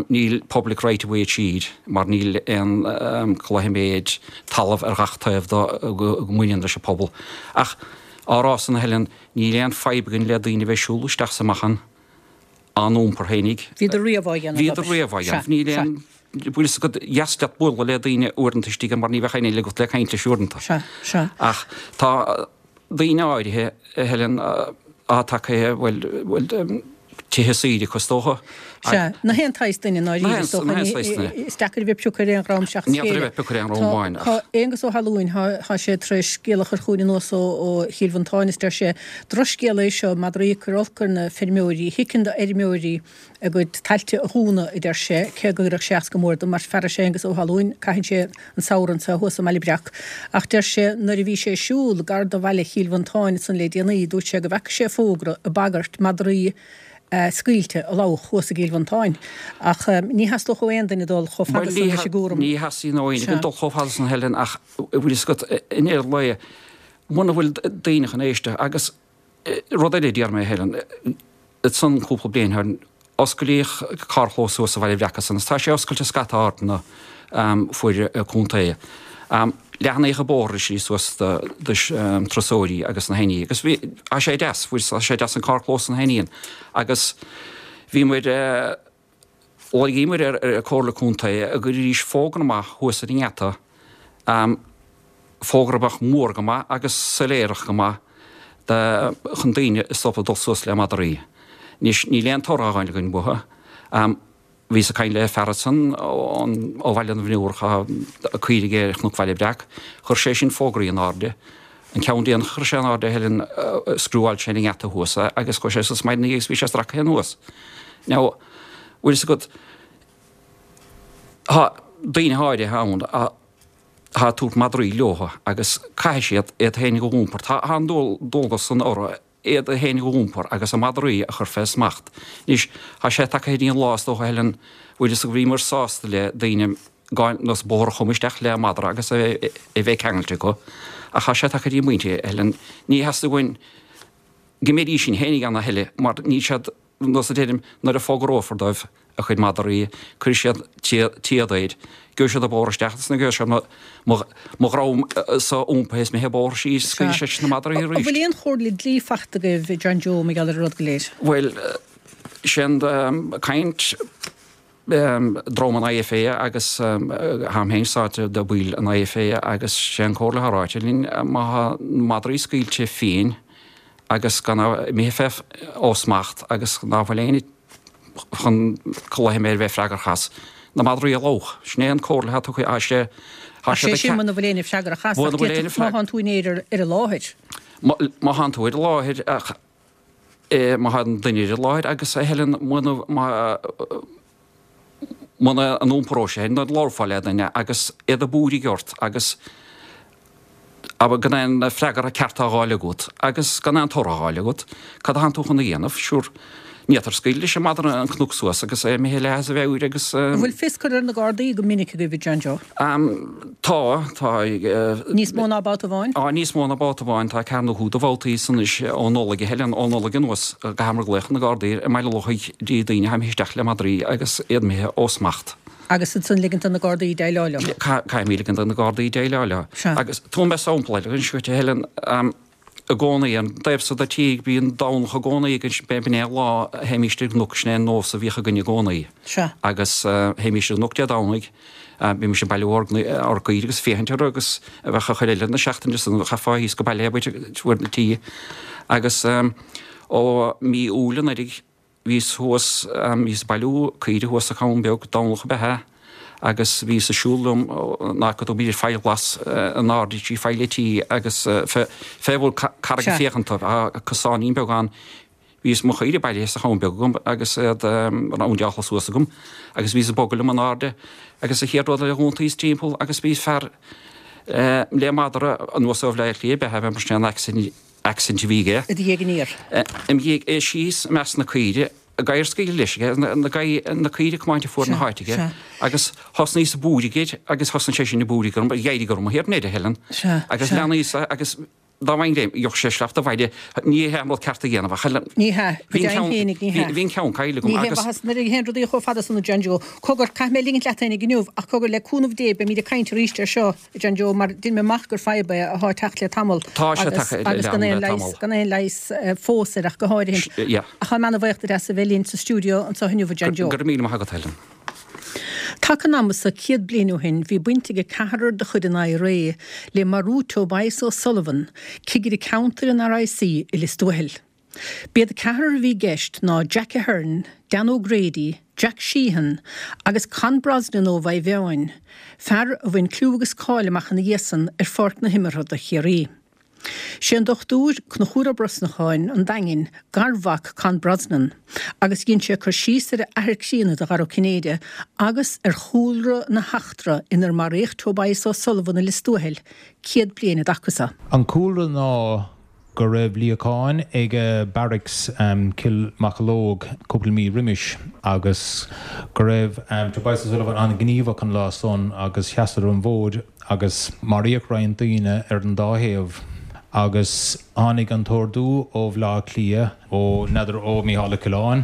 [SPEAKER 3] níl public right of way tríd mar níl aon cloiméid talamh ar gach taobh dó go mbaineann leis an pobal. Ach á rá san a Helen, níl aon fadhb againn le daoine a bheith ag siúl isteach is amach ann, á n-iompar fhéinig.
[SPEAKER 1] Bhíodar riamh á dhéanamh,
[SPEAKER 3] Bhíodar riamh á dhéanamh. Níl aon, bhfuil fhios agat, dheas leat bualadh le daoine uaireanta istigh mar ní bheadh éinne eile agat le caint leis uaireanta.
[SPEAKER 1] Sea, sea.
[SPEAKER 3] Ach tá daoine áirithe, a Helen, atá tagtha, bhuel, bhuel, tithe saoire acu is dócha.
[SPEAKER 1] Sea, na haon tsaghas duine, ndáiríre, is dócha.
[SPEAKER 3] Na haon saghas duine.
[SPEAKER 1] Is deacair a bheith ag piocadh ar aon dhream seachas
[SPEAKER 3] Ní féidir a bheith ag piocadh ar aon dhream amháin ach.
[SPEAKER 1] Tá Aonghus Ó hAlmhain, tá sé tar éis scéal a chur chugainn anuas ó Chill Mhantáin is deir sé, Drochscéal é seo, madraí ag cur olc ar na feirmeoirí, thiocfainn do fheirmeoirí a gcuid tailte a dhúnadh, a deir sé, cé go gcuirfeadh sé as go mór dom mar fear is ea Aonghus Ó hAlmhain, caitheann sé an samhradh anseo thuas i mBaile Breac. Ach deir sé, nuair a bhí sé ag siúl gar do bhaile Chill Mhantáin ansan le déanaí, dúirt sé go bhfeaca sé fógra ag bagairt madraí scaoilte a lobhadh thuas i gCill Mhantáin. Ach ní theastódh ó aon duine dul chomh fada san leis an gcúram.
[SPEAKER 3] Ní theastaíonn ó éinne dul chomh fada san Helen ach bhfuil fhios agat i ndeireadh an lae muna bhfuil daoine chun éisteacht agus rud eile a déarfaidh mé Helen, ansan cúpla bliain ó shin osclaíodh carrchlós thuas sa Bhaile Bhreac ansan agus tá sé oscailte scata áiteanna fuaid an chontae. Leathnaíodh an bóthar ar slí suas do turasóirí agus na héinní agus bhí, tá sé deas, fuair, tá sé deas an carrchlós na héinní agus bhíomar, lorgaíomar ar an Comhairle Contae go gcuirfidís fógra amach thuas ar an ngeata, fógra a bheadh mór go maith agus soiléireach go maith chun daoine a stopadh dul suas le madraí. Anois níl aon toradh á fháil againn uathu. Bhíos ag caint le fear ansan ó Bhaile na bhFionnúrach, tá caoirigh aige ar Chnoc Bhaile Breac. Chuir sé sin fógraí in airde. An ceann déanach a chuir sé in airde, a Helen, scriúáil sé an ngeata thuas é agus chuaigh sé suas maidin agus bhí sé stractha anuas. Now, bhfuil fhios agat, tá daoine áirithe ann atá ag tabhairt madraí leo agus caithfidh siad iad féin a iompar. Tá an dualgas san orthu iad féin a iompar agus a madraí a chur fé smacht. Anois, tá sé tagtha go dtí an lá is dócha, a Helen, bhfuil fhios agat, bhíomar sásta le daoine gan nós bóthar a chumadh isteach le madra agus é a bheith ceangailte acu. Ach tá sé tagtha go dtí an bpointe, a Helen, ní theastaigh uainn go mbeidís sin féin ag an a thuilleadh mar níl siad nós a deirim nuair a fógrófar dóibh a chuid madraí, cuirfidh siad téad air, gheobhaidh siad an bóthar isteach agus gheobhaidh siad mo dhrom sa iompaithe is mé an bóthar síos, scaoilfidh siad na madraí
[SPEAKER 1] arís. An bhfuil aon chomhairle dlí faighte agaibh, John Joe, mar gheall ar an rud go léir?
[SPEAKER 3] Bhuel, sin caint dream an IFA agus táim féin sáite de bhaill an IFA agus sé an comhairle atá ráite linn má tá madraí scaoilte fiain agus gan imithe fé ó smacht agus ná fuil éinne chun culaith mé a bheith freagrach as na madraí a lobhadh. Sin é an comhairle atá tugtha. Tá sé
[SPEAKER 1] Tá sé sin muna bhfuil éinne freagrach as ach má thánn tú ar ar an láthair.
[SPEAKER 3] Má thánn tú ar an láthair ach má tá an duine ar an láthair agus a Helen muna muna n-iompróidh sé nó labharfá le duine agus iad ag búirigh ort agus gan aon freagra ceart á fháil agat agus gan aon toradh á fháil agat, cad a thánn tú chun a dhéanamh? Sure, ní fhéadfair scaoileadh leis an madra an cnoc suas agus é imithe leath as a mheabhair agus.
[SPEAKER 1] An bhfuil fios curtha ar na Gardaí go minic agaibh, a John Joe?
[SPEAKER 3] Tá, tá.
[SPEAKER 1] Níos mó ná babhta amháin?
[SPEAKER 3] Á, níos mó ná babhta amháin. Tá ceathair nó cúig de bhabhtaí san anois ó Nollaig, a Helen, ó Nollaig anuas go gcaitheamar glaoch ar na Gardaí i mBaile Lochaigh dtí daoine atá imithe isteach le madraí agus iad imithe ó smacht.
[SPEAKER 1] Agus ansan ligint do na Gardaí déileáil leo.
[SPEAKER 3] Caithfimid ligint do na Gardaí déileáil leo.
[SPEAKER 1] Sea.
[SPEAKER 3] Agus tabharfaidh mé sampla eile anois dhuit, a Helen. I gcónaí, an taobh so de tír, bíonn Domhnach i gcónaí againn, b'in é an lá a théimíst ar an gcnoc, sin é an nós a bhíodh againn i gcónaí.
[SPEAKER 1] Sea.
[SPEAKER 3] Agus théimíst ar an gcnoc Dé Domhnaigh, bhímis ag bailiú ár ár gcaoirigh agus féachaint orthu agus a bheadh a chuid eile na seachtaine san, chaithfeá thíos go baile é a bhaint na tí. Agus ó mí Iúil anuraidh, Bhíos thuas, bhíos ag bailiú caoirigh thuas sa Chabhán Beag, Domhnach ab ea é, agus bhíos ag siúl liom ná go dtug b'fhéidir faill ghlas in airde trí faill an tí agus fé bhun carraige
[SPEAKER 1] Sea.
[SPEAKER 3] féachaint, tá cosáinín beag ann. Bhíos mo chaoirigh bailithe sa Chabhán Beag agam agus iad roundáilte suas agam agus bhíos ag bogadh liom in airde agus an chéad rud eile dh'iontaíos timpeall agus bhí fear le madra anuas ó Bhleá Cliath ab ea é mar sin an accent a bhí aige.
[SPEAKER 1] I do dhiaidh aniar.
[SPEAKER 3] Im dhiaidh, é síos i measc na caoire, gadhar scaoilte leis aige, na caoire ag comáint fuar na háite aige, agus thosnaíos ag búirigh air agus thosnaigh sé sin ag búirigh orm, d'éirigh orm thiar air, a Helen. Agus leanaíos é agus dá bhfaighinn greim, gheobhadh sé sneachta abhaile, ní hé an rud ceart a dhéanamh ach Helen.
[SPEAKER 1] Ní hea, go deimhin féinig, ní hea.
[SPEAKER 3] Bhí an ceann caillte agam
[SPEAKER 1] Ní hé
[SPEAKER 3] agus.
[SPEAKER 1] mhaitheas nuair a théann rudaí chomh fada san a John Joe. Cogar, caithfidh mé ligint leat féinig inniu ach cogar, le cúnamh Dé beimid ag caint arís air seo. A John Joe, mar dhein mé amach gur fadhb é atá ag teacht le tamall
[SPEAKER 3] Tá sé
[SPEAKER 1] agus
[SPEAKER 3] tagtha
[SPEAKER 1] agus gan
[SPEAKER 3] le
[SPEAKER 1] aon leigheas,
[SPEAKER 3] tamall.
[SPEAKER 1] gan aon leigheas fós air ach go háirithe.
[SPEAKER 3] Yeah.
[SPEAKER 1] Ach táim ana-bhuíoch duit as a bheith linn sa stiúideo anseo inniu, a John Joe.
[SPEAKER 3] Go raibh míle maith agat, Helen.
[SPEAKER 1] Taca an ama so céad bliain ó shin bhí baint ag ceathrar de chuid an IRA le marú Tobias O'Sullivan, cigire ceantair an RIC i Lios Tuathail. B'iad an ceathrar a bhí i gceist ná Jack Ahern, Dan O'Grady, Jack Sheehan agus Con Brosnan ó Mhaigh Mheáin, fear a bhain clú agus cáil amach ina dhiaidh san ar pháirc na himeartha do Chiarraí. Sé an Dochtúir Conchúr Ó Brosnacháin an Daingin garmhac Con Brosnan agus dhein sé cur síos ar a athair críonna do Dhara Ó Cinnéide agus ar chúlra na heachtra inar maraíodh Tobias O'Sullivan i Lios Tuathail céad bliain an dtaca so.
[SPEAKER 4] An cúlra ná go raibh luíochán ag Barracks Cill Mocheallóg cúpla mí roimis agus go raibh Tobias O'Sullivan an-ghníomhach an lá san agus sheasadar an bhfód agus maraíodh roinnt daoine ar an dá thaobh agus tháinig an t-ordú ó Bhleá Cliath, ó n'fheadar ó Mícheál Ó Coileáin,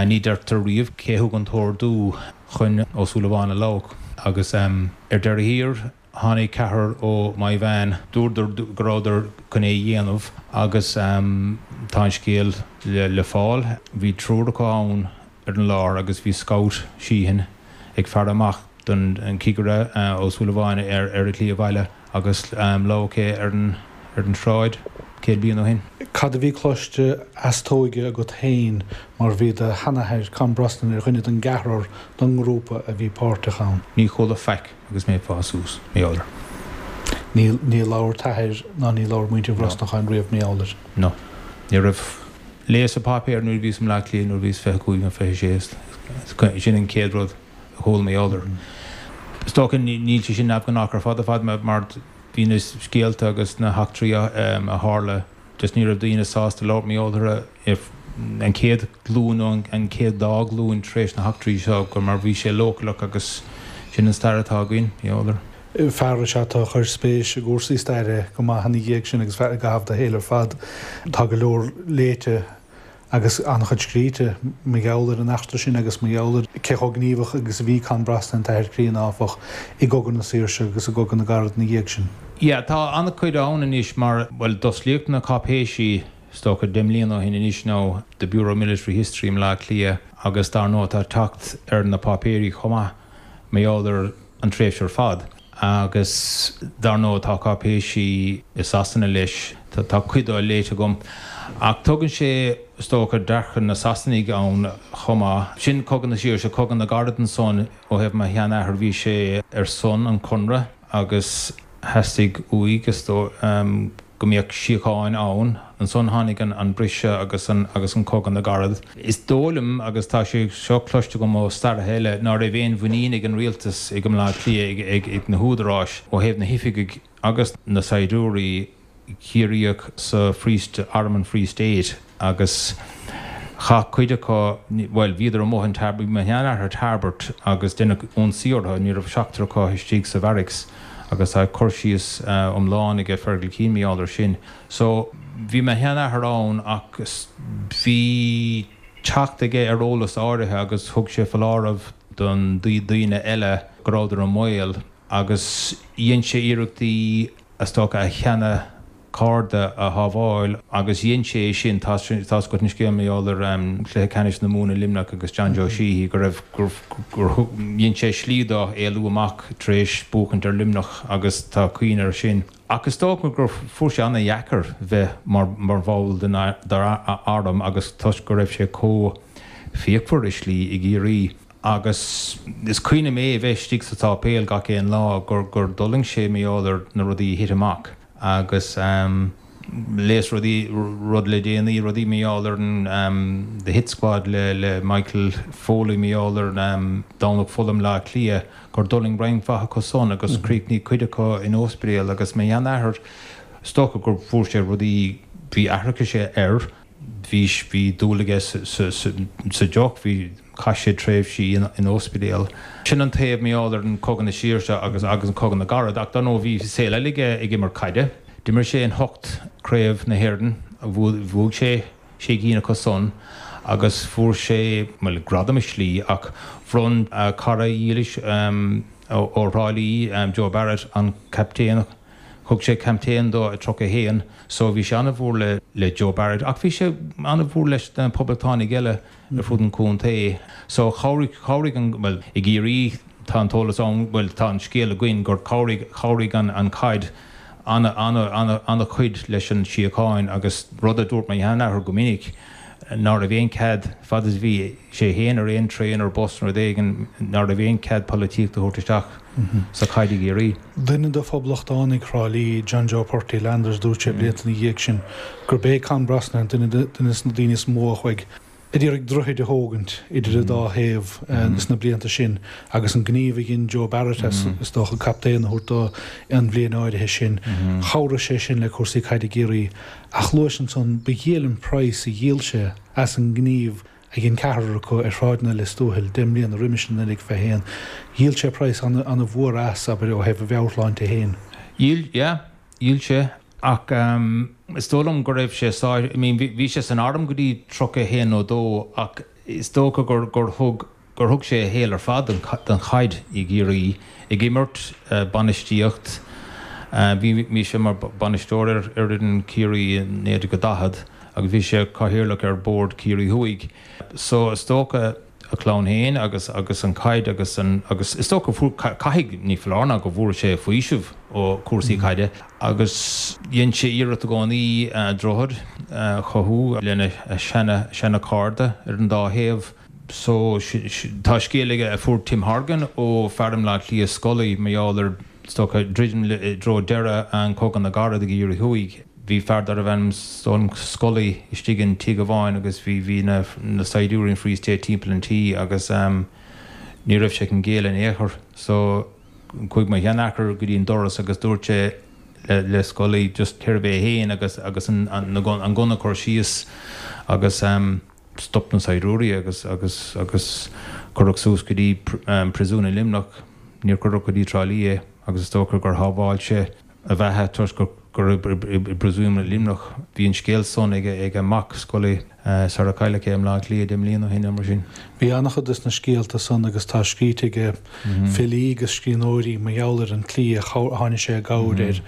[SPEAKER 4] ní deirtear riamh cé thug an t-ordú chun Ó Súilleabháin a lobhadh agus ar deireadh thiar Tháinig ceathrar ó Maigh Mheáin, dúradar go rabhadar chun é a dhéanamh agus tá an scéal le fáil. Bhí triúr acu ann ar an láthair agus bhí Scout Sheehan ag faire amach don chigire Ó Súilleabháin ar a shlí abhaile agus lobhadh é ar an ar an tsráid céad bliain ó shin.
[SPEAKER 5] Cad a bhí cloiste as t'óige agat féin mar bhí do sheanathair Con Brosnan ar dhuine den gceathrar den ngrúpa a bhí páirteach ann?
[SPEAKER 4] Ní chuala faic agus mé ag fás suas, mar gheall air.
[SPEAKER 5] Ní ní labhair t'athair ná ní labhair muintir Bhrosnacháin riamh mar gheall air?
[SPEAKER 4] No. Ní raibh. Léas an páipéar nuair a bhíos i mBleá Cliath nuair a bhíos fiche cúig nó fiche sé. Sin an chéad rud a chuala mar gheall air. Is dócha níl sé sin neamhghnách ar fad ar fad mar bhí na scéalta agus na heachtraí a tharla just ní raibh daoine sásta labhairt mar gheall orthu an chéad ghlúin nó an chéad dá ghlúin tar éis na heachtraí seo gur mar bhí sé leochaileach agus sin an stair atá againn mar gheall air.
[SPEAKER 5] Fear is ea tú a chuir spéis i gcúrsaí staire go maith ina dhiaidh sin agus i gcaitheamh do shaoil ar fad. Tá go leor léite agus an-chuid scríte mar gheall ar an eachtra sin agus mar gheall ar cé chomh gníomhach agus a bhí Con Brosnan, an t-athair críonna, áfach, i gCogadh na Saoirse agus i gCogadh na gCarad ina dhiaidh sin.
[SPEAKER 4] Yeah, tá an-chuid ann anois mar, bhuel, d'osclaíodh na cáipéisí, is dócha, deich mbliana ó shin anois nó The Bureau of Military History i mBleá Cliath agus dar ndóigh tá teacht ar na páipéirí chomh maith mar gheall ar an tréimhse ar fad. Agus dar ndóigh tá cáipéisí i Sasana leis, tá cuid dó léite agam. Ach tugann sé, is dócha, dearcadh na Sasanaigh ann chomh maith. Sin Cogadh na Saoirse, Cogadh na gCarad ansan ó thaobh mo sheanathair, bhí sé ar son an Chonradh agus theastaigh uaidh, is dóigh, go mbeadh síocháin ann. Ansan tháinig an briseadh agus an agus an Cogadh na gCarad. Is dóigh liom, agus tá sé seo cloiste agam ó staraithe eile, ná raibh aon mhuinín ag an rialtas ag i mBleá Cliath, ag ag na húdaráis ó thaobh na hoifigigh agus na saighdiúirí Ciarraíoch sa Free Arm an Free State agus chaith cuid acu, bhuel, bhíodar amuigh in Tarbert, bhí mo sheanathair Tarbert agus deineadh ionsaí orthu, ní raibh seachtar acu istigh sa bharracks agus tá cur síos iomlán aige Fergal Keane mar gheall air sin. So, bhí mo sheanathair ann ach bhí teacht aige ar eolas áirithe agus thug sé foláireamh don daoine eile go rabhadar i mbaol agus dhein sé iarrachtaí is dócha a sheana cairde a shábháil agus dhein sé é sin, tá's agat an scéal mar gheall ar chluiche ceannais na Mumhan i Luimneach agus John Joe Sheehy go raibh, gur, gur dhein sé slí dó éalú amach tar éis buachaint ar Luimneach agus tá cuimhne air sin. Ach is dócha gur fuair sé ana-dheacair bheith mar, mar bhall den arm agus toisc go raibh sé chomh fíochmhar i slí i gCiarraí. Agus is cuimhin liom é a bheith istigh sa tsáipéal gach aon lá gur, gur d'fhulaing sé mar gheall ar na rudaí a thit amach. Agus léas rudaí, rud le déanaí, rudaí mar gheall ar an The Hit Squad le le Michael Foley mar gheall ar Domhnach Fola i mBleá Cliath, gur d'fhulaing roinnt mhaith acu san agus chríochnaigh cuid acu in ospidéal agus mo sheanathair, is dócha gur fuair sé rudaí, bhí aithreachas air. Bhí, bhí dúil aige sa deoch, bhí, chaith sé tréimhsí in ospidéal. Sin an taobh mar gheall ar an Cogadh na Saoirse agus agus an Cogadh na gCarad ach dar ndóigh bhí saol eile aige ag imirt caide. D'imir sé in hocht Craobh na hÉireann, bhuaigh sé sé cinn acu san agus fuair sé, bhuel, gradam i slí ach bhronn a chara dhílis ó Thrá Lí, Joe Barrett, an captaenacht Thug sé captaen dó i tríocha a haon so bhí sé an-mhór le le Joe Barrett ach bhí sé an-mhór leis na poblachtánaigh eile ar fud an chontae. So chabhraigh chabhraigh an bhuel i gCiarraí tá an t-eolas ann bhuel tá an scéal againn gur chabhraigh chabhraigh an an chaid ana ana ana ana-chuid leis an síocháin agus rud a dúirt mo sheanathair go minic ná raibh aon cead fad is bhí sé féin ar aon traein ar bus nó rud éigin ná raibh aon cead polaitíocht a thabhairt isteach sa chaid i gCiarraí.
[SPEAKER 5] Duine de phoblachtánaigh Thrá Lí, John Joe Purty Landers, dúirt sé blianta ina dhiaidh sin gurb é Con Brosnahan duine de na daoine is mó a chuaigh a d'iarraidh droichid a thógaint idir an dá thaobh sna blianta sin agus an gníomh a dhein Joe Barrett as, is dócha, captaen a thabhairt dó an bhliain áirithe sin, chabhraigh sé sin le cúrsaí caide i gCiarraí. Ach luais ansan, ba dhiail an praghas a dhíol sé as an ngníomh a dhein ceathrar acu ar shráideanna Lios Tuathail deich mbliana roimis in naoi déag fiche a haon. Dhíol sé praghas ana-mhór as, abair, ó thaobh a mheabhairshláinte féin.
[SPEAKER 4] Dhíol, yeah, dhíol sé. Ach is dóigh liom go raibh sé sáite, I mean bhí sé san arm go dtí tríocha a haon nó dó ach is dócha gur gur thug gur thug sé a shaol ar fad don don chaid i gCiarraí, ag imirt, bainistíocht, bhí bhí sé mar bainisteoir ar ar fhoireann Chiarraí i naoi déag daichead agus bhí sé cathaoirleach ar bhord Ciarraí Thuaidh. So is dócha a chlann féin agus agus an caid agus an agus is dócha fuair caithfidh ní foláir ná go bhfuair sé faoiseamh ó cúrsaí caide agus dhein sé iarracht i gcónaí droichead a chothú lena seana seana cairde ar an dá thaobh. So tá scéal aige a fuair Tim Horgan ó fear i mBleá Cliath Scully mar gheall ar is dócha druidim i dtreo deireadh an Cogadh na gCarad ag Éirí Thuaidh. Bhí fear darbh ainm Scully istigh in tigh amháin agus bhí bhí na na saighdiúirí an Free State timpeall an tí agus ní raibh sé chun géilleadh in aon chor. So chuaigh mo sheanathair go dtí an doras agus dúirt sé le le Scully just cérbh é féin agus agus an an an gunna a chur síos agus stop na saighdiúirí agus agus agus cuireadh suas go dtí príosún i Luimneach. Níor cuireadh go dtí Trá Lí é agus is dócha gur shábháil sé a bheatha toisc gur gur i bpríosún i Luimneach. Bhí an scéal san ag ag a mac Scully sara cailleadh é i mBleá Cliath deich mbliana ó shin nó mar sin.
[SPEAKER 5] Bhí an-chuid de na scéalta san agus tá scríte ag filí agus scríbhneoirí mar gheall ar an tslí a tháinig sé i gcabhair ar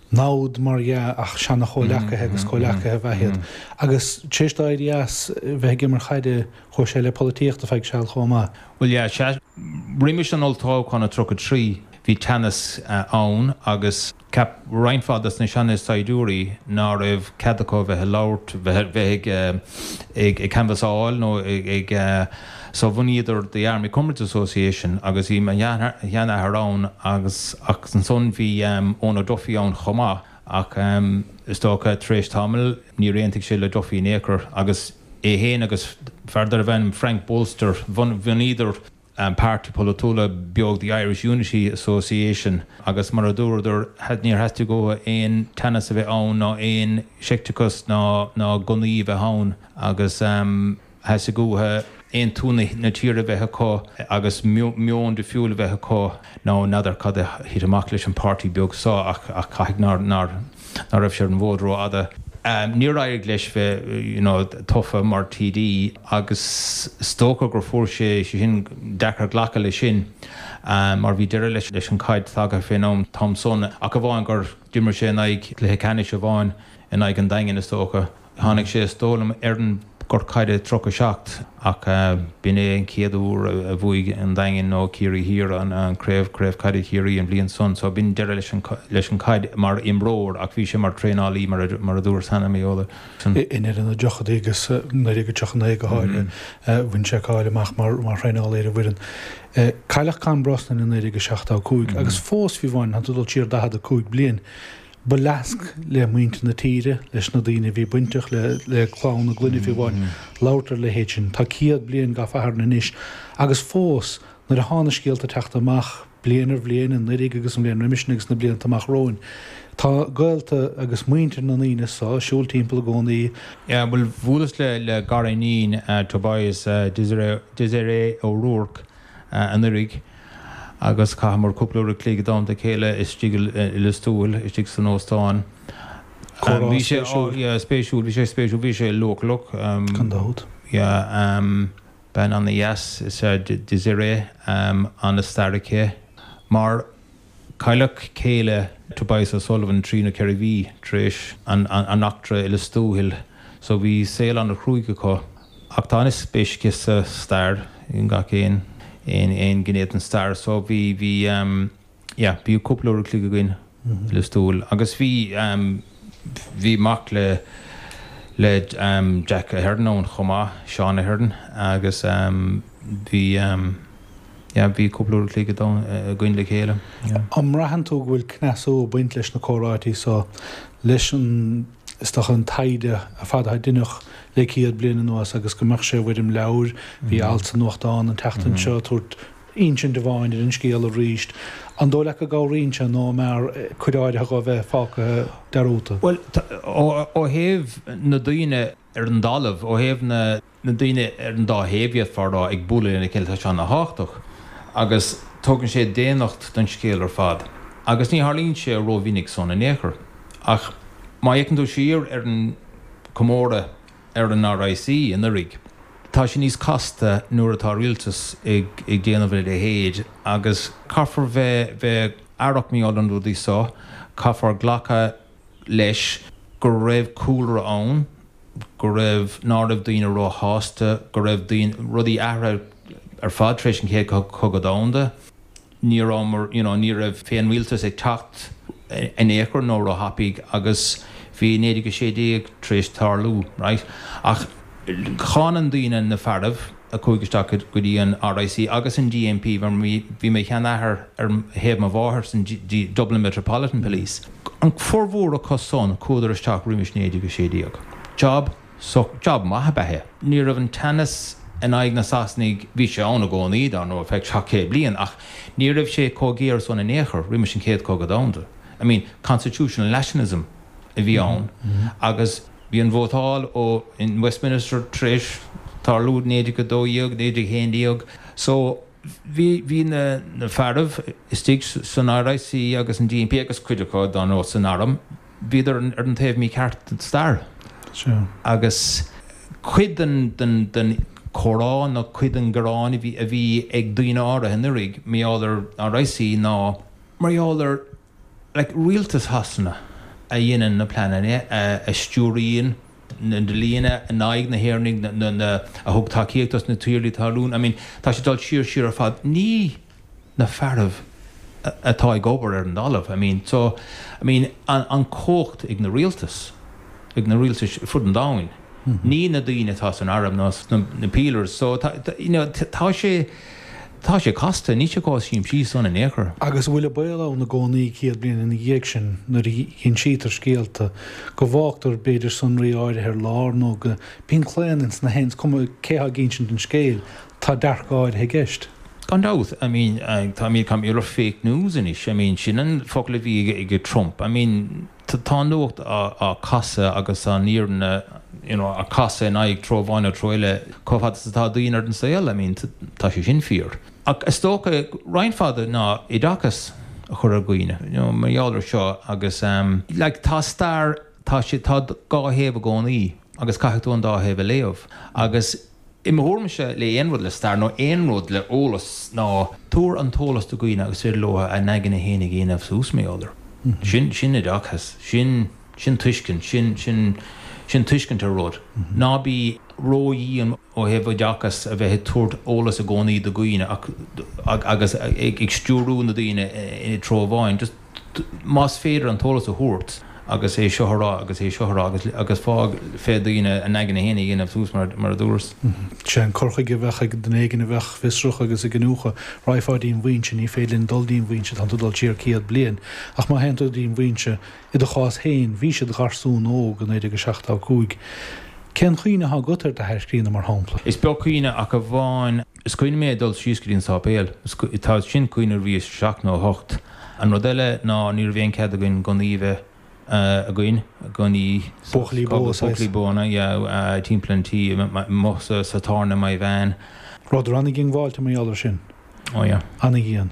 [SPEAKER 5] namhad mar dhea ach seana-chomhleacaithe agus comhleacaithe ab ea iad. Agus tar éis dó éirí as bheith ag imirt chaide chuaigh sé le polaitíocht ar feadh seal chomh maith.
[SPEAKER 4] Bhuel yeah, sea. Roimis an olltoghchán i tríocha trí bhí teannas ann agus cheap roinnt mhaith des na seana-saighdiúirí ná raibh cead acu bheith ag labhairt, bheith bheith ag ag ag canbhasáil nó ag ag so bhunaíodar The Army Comrades Association agus bhí mo sheanathair ann agus ach ansan bhí Eoin O'Duffy ann chomh maith ach is dócha tar éis tamaill níor aontaigh sé le Duffy in aon chor agus é féin agus fear darbh ainm Frank Bolster bhunaíodar páirtí polaitiúla beag The Irish Unity Association agus mar a dúradar níor theastaigh uathu aon teannas a bheith ann ná aon seicteachas ná ná gunnaí a bheith ann agus theastaigh uathu aontú na tíre a bheith acu agus meon difriúil a bheith acu. Now n'fheadar cad a thit amach leis an páirtí beag seo ach ach caithfidh nár nár ná raibh sé ar an bhfód rófhada. Níor éirigh leis bheith you know tofa mar TD agus is dócha gur fuair sé sin deacair glacadh leis sin mar bhí deireadh leis leis an caid tagtha fén am t-am san ach amháin gur d'imir sé in aghaidh cluiche ceannais amháin in aghaidh an Daingin is dócha. Tháinig sé is dóigh liom ar an gort caide tríocha seacht ach b'in é an chéad uair a bhuaigh an Daingean nó Ciarraí Thiar an craobh, Craobh Caide Chiarraí an bhliain san. So b'in deireadh leis an leis an caid mar imreoir ach bhí sé mar traenálaí mar a mar a dúras cheana mé eola.
[SPEAKER 5] I ndeireadh na dtríochaidí agus naoi déag tríocha naoi go háirithe bhain sé cáil amach mar mar thraenálaí ar an bhfoireann. Cailleadh Con Brosnan i naoi déag seachtó a cúig agus fós fiú amháin, tá tú ag dul siar daichead a cúig bliain, Ba leasc le muintir na tíre, leis na daoine a bhí bainteach le le clann na gclainne fiú amháin, labhairt ar a leithéid sin. Tá céad bliain gach Satharn anois agus fós, nuair atá na scéalta ag teacht amach, bliain ar bhliain, anuraidh agus an bhliain roimis sin agus na blianta amach romhainn, tá gaolta agus muintir na ndaoine so ag siúl timpeall i gcónaí.
[SPEAKER 4] Yeah, bhuel, bhuaileas le le gariníon Tobias, Desiree Desiree O'Rourke, anuraidh agus chaitheamar cúpla uair a chloig i dteannta a chéile istigh i Lios Tuathail, istigh san óstán.
[SPEAKER 5] Comhrá
[SPEAKER 4] Bhí sé,
[SPEAKER 5] spéisiúil.
[SPEAKER 4] yeah, spéisiúil, bhí sé spéisiúil, bhí sé leochaileach.
[SPEAKER 5] Gan dabht.
[SPEAKER 4] Yeah, bean ana-dheas is ea Desiree, ana-stair aici. Mar cailleadh céile Tobias O'Sullivan trí nó ceithre mhí tar éis an eachtra i Lios Tuathail so bhí saol an-chruaidh acu. Ach tá an-spéis aici sa stair, i ngach aon aon aon ghné den stair so bhí bhí yeah bhí cúpla uair a chloig againn i Lios Tuathail agus bhí bhí mac le le Jack Ahern ann chomh maith, Seán Ahern agus bhí yeah bhí cúpla uair a chloig againn le chéile
[SPEAKER 5] yeah. An mbraitheann tú go bhfuil cneasú ag baint leis na comhráití so leis an is dócha an taighde ar fad atá déanta le céad bliain anuas agus go mbeadh sé i bhfoirm leabhair, bhí alt sa nuachtán an tseachtain seo ag tabhairt insint amháin ar an scéal arís. An dóigh leat go gcabhraíonn sé nó an mb'fhearr cuid áirithe dhó bheith fágtha dearúdta?
[SPEAKER 4] Bhuel, ó thaobh na daoine ar an dtalamh, ó thaobh na. na daoine ar an dá thaobh, d'fhéadfá a rá, ag bualadh lena chéile, tá sé ana-thábhachtach agus tugann sé daonnacht don scéal ar fad. Agus ní tharlaíonn sé rómhinic san in aon chor. Ach má fhéachann tú siar ar an comóradh ar an RIC anuraidh, tá sé níos casta nuair atá rialtas ag déanamh a leithéid agus caithfear bheith bheith aireach mar gheall ar na rudaí so, caithfear glacadh leis go raibh cúlra ann, go raibh, ná raibh daoine róshásta, go raibh daoine, rudaí athraithe ar fad tar éis an Chéad Chogadh Domhanda. Ní raibh you know, ní raibh féinrialtas ag teacht in aon chor nó róthapaidh agus bhí naoi déag a sé déag tar éis tarlú, right? Ach cháin daoine na fearaibh a chuaigh isteach go dtí an R I C agus an D M P, mar bhí mo sheanathair ar thaobh mo mháthar san Dublin Metropolitan Police. An formhór acu san chuadar isteach roimis naoi déag a sé déag. Job so job maith ab ea é. Ní raibh an teannas in aghaidh na Sasanaigh, bhí sé ann i gcónaí dar ndóigh ar feadh seacht céad bliain, ach ní raibh sé chomh géar san in aon chor roimis an Chéad Chogadh Domhanda. I mean, constitutional nationalism a bhí ann agus bhí an vótáil ó in Westminster tar éis tarlú naoi déag a dó dhéag, naoi déag haon déag. So bhí bhí na na fearaibh istigh san R I C agus an D M P agus cuid acu dar ndóigh san arm, bhíodar ar an taobh mícheart den stair. Agus cuid den den den chomhrá nó cuid den ghearán a bhí a bhí ag daoine áirithe anuraidh mar gheall ar R I C ná mar gheall ar like, rialtas Shasana a dhéanann na pleananna, a, a stiúraíonn na dlíthe in aghaidh na hÉireannaigh na, na, a thug tacaíocht dos na tiarnaí talún. I mean, tá sé dul siar siar ar fad ní na fearaibh atá ag obair ar an dtalamh. I mean, so I mean, an, an cumhacht ag na rialtas ag na rialtais fud an domhain. Mm -hmm. Ní na daoine atá san arm ná na, na peelers, so tá, you know, tá sé tá sé casta, ní sé chomh simplí san in aon chor.
[SPEAKER 5] Agus bhfuil baol ann i gcónaí céad bliain ina dhiaidh sin nuair a insítear scéalta go bhfágtar b'fhéidir sonraí áirithe ar lár nó go mbíonn claonadh sna haon cuma cé ag insint an scéil, tá dearcadh áirithe i gceist.
[SPEAKER 4] Gan dabht, I mean, uh, tá mé cam fake news anois, I mean, sin an focal a bhí ag Trump. I mean, tá nuacht á casadh agus an fhírinne you know, a casadh in aghaidh treo amháin nó treo eile chomh fada is atá daoine ar an saol, I mean, tá sé sin fíor. Ach is dócha roinnt fada ná oideachas a chur ar dhaoine, you know, mar gheall air seo agus um, like, tá stair tá sé tá dhá thaobh i gcónaí agus caithfidh tú an dá thaobh a léamh. Agus i m'thuairimse le aon rud le stair nó aon rud le eolas ná tabhair an t-eolas do dhaoine agus féidir leo a n-aigne féin a dhéanamh suas mar gheall air. Sin sin oideachas, sin sin tuiscint, sin sin sin tuiscint ar rud. Ná bí ródhian ó thaobh oideachas a bheith ag tabhairt eolas i gcónaí do dhaoine agus ag stiúrú na daoine i treo amháin. Just más féidir an t-eolas a thabhairt agus é seo a rá agus é seo a rá agus agus fág fé daoine a n-aigne féin a dhéanamh suas mar mar a dúras.
[SPEAKER 5] Sé an cur chuige a bheadh ag duine éigin a bheadh fiosrach agus ag iniúchadh raghfá dtí'n bhfoinse, ní féidir linn dul dtí'n bhfoinse, tá tú dul siar céad bliain, ach má théann tú dtí'n bhfoinse i do chás féin, bhí siad garsún óg in naoi déag seachtó cúig. Cén chuimhne atá agat ar d'athair críonna mar shampla?
[SPEAKER 4] Is beag cuimhne ach amháin is cuimhin mé dul síos go dtí an sáipéal, tá sin cuimhne bhí seacht nó hocht. An rud eile ná ní raibh aon chead againn gunnaí bheith againn gunnaí
[SPEAKER 5] Buachaillí bó.
[SPEAKER 4] Buachaillí bóna timpeall an tí mo sa sa tairne mai bhean.
[SPEAKER 5] Rud an-dhiongbháilte mar gheall air sin.
[SPEAKER 4] Ó yeah.
[SPEAKER 5] An-dhian.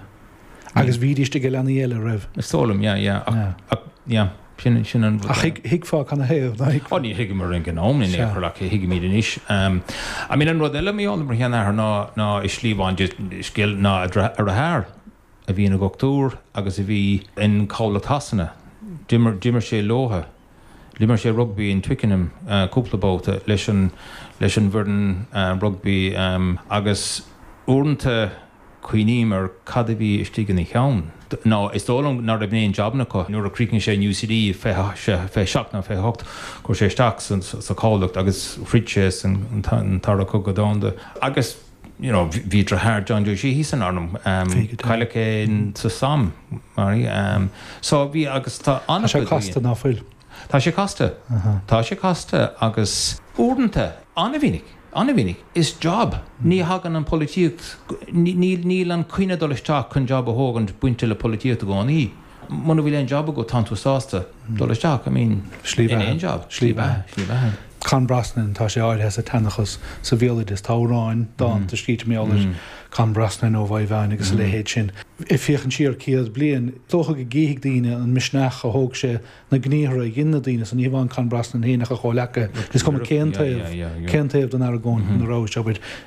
[SPEAKER 5] Agus bhídís ag leanaí eile roimh.
[SPEAKER 4] Is dóigh liom, yeah, yeah. Ach yeah, sin sin an
[SPEAKER 5] Ach thuigfeá canathaobh?
[SPEAKER 4] Ó ní thuigeamar ag an am in aon chor ach thuigimid anois. I mean an rud eile mar gheall ar mo sheanathair ná ná i slí amháin scéal ná a dheartháir a bhí ina dhochtúir agus a bhí in Cabhlach Shasana. D'imir d'imir sé leo. D'imir sé rugby in Twickenham cúpla babhta leis an leis an bhfoireann rugby agus uaireanta cuimhním ar cad a bhí istigh ina cheann. Ná is dóigh liom nach raibh aon jabanna acu nuair a chríochnaigh sé in U C D fiche seacht nó fiche hocht chuir sé isteach sa chabhlach agus throid sé san Dara Cogadh Domhanda. Agus you know, bhí deartháir John Joe Sheehy san arm um, cailleadh é sa Somme mar um, so bhí agus tá
[SPEAKER 5] an sé casta ná fuil.
[SPEAKER 4] Tá sé casta Tá sé casta agus uaireanta an-mhinic an-mhinic is job ní thagann an polaitíocht níl an cuine dul isteach chun job a thógaint bainte le polaitíocht i gcónaí. Muna bhfuil aon job agat tá tú sásta dul isteach, I mean
[SPEAKER 5] Slí
[SPEAKER 4] aon job slí slí
[SPEAKER 5] Con Brosnan tá sé áirithe sa tseanchas sa bhéaloideas tá amhráin dánta scríte mar gheall ar Con Brosnan ó Mhaigh agus a leithéid sin. Ag féachaint siar céad bliain, dócha go gcífidh daoine an misneach a thóg sé na gníomhartha a dhein na daoine san ní hamháin Con Brosnan féin ach a chomhghleacaithe. Is cuma cén taobh cén taobh den argóint na raibh sé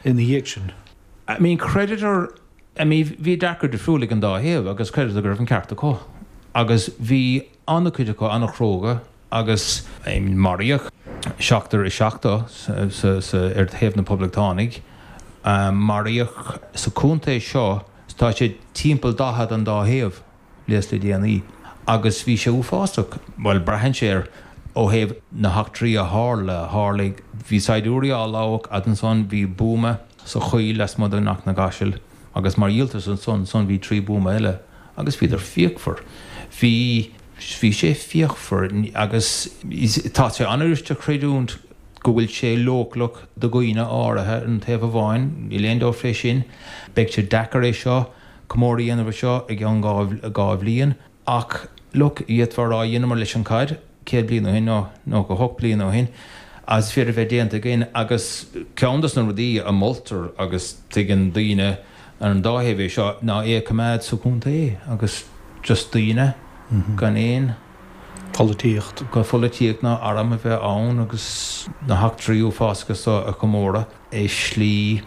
[SPEAKER 5] ina dhiaidh sin.
[SPEAKER 4] I mean creditor I mean bhí dearcadh difriúil ag an dá thaobh agus creditor go raibh an ceart acu. Agus bhí an-chuid acu an-chróga agus I mean, maraíodh seachtar is seachtó ar thaobh na poblachtánaigh. Maraíodh sa chontae seo, tá sé timpeall daichead an dá thaobh le déanaí agus bhí sé uafásach, bhuel braitheann sé ar ó thaobh na heachtraí a tharla, tharlaigh, bhí saighdiúirí á labhadh fhad ansan bhí buama sa choill lasmuigh de Cnoc na gCaiseal agus mar dhíoltas ansan, san bhí trí buama eile agus bhíodar fíochmhar. Bhí, bhí sé fíochmhar agus tá sé an-fhuirist a chreidiúint go bhfuil sé leochaileach do dhaoine áirithe ar an taobh amháin, níl aon dabht fé sin. Beidh sé deacair é seo, comóradh a dhéanamh ar seo i gceann dhá bhliain. Ach, look, d'fhéadfá a rá, dheineamar leis an caid céad bliain ó shin, nó nócha hocht bliain ó shin, agus is féidir a bheith déanta againn. Agus ceann dos na rudaí a moltar agus tuigeann daoine ar an dá thaobh é seo, ná é a choimeád sa chontae agus just daoine gan aon.
[SPEAKER 5] pholaitíocht.
[SPEAKER 4] gan pholaitíocht ná arm a bheith ann agus na heachtraí uafásacha seo a chomóradh i slí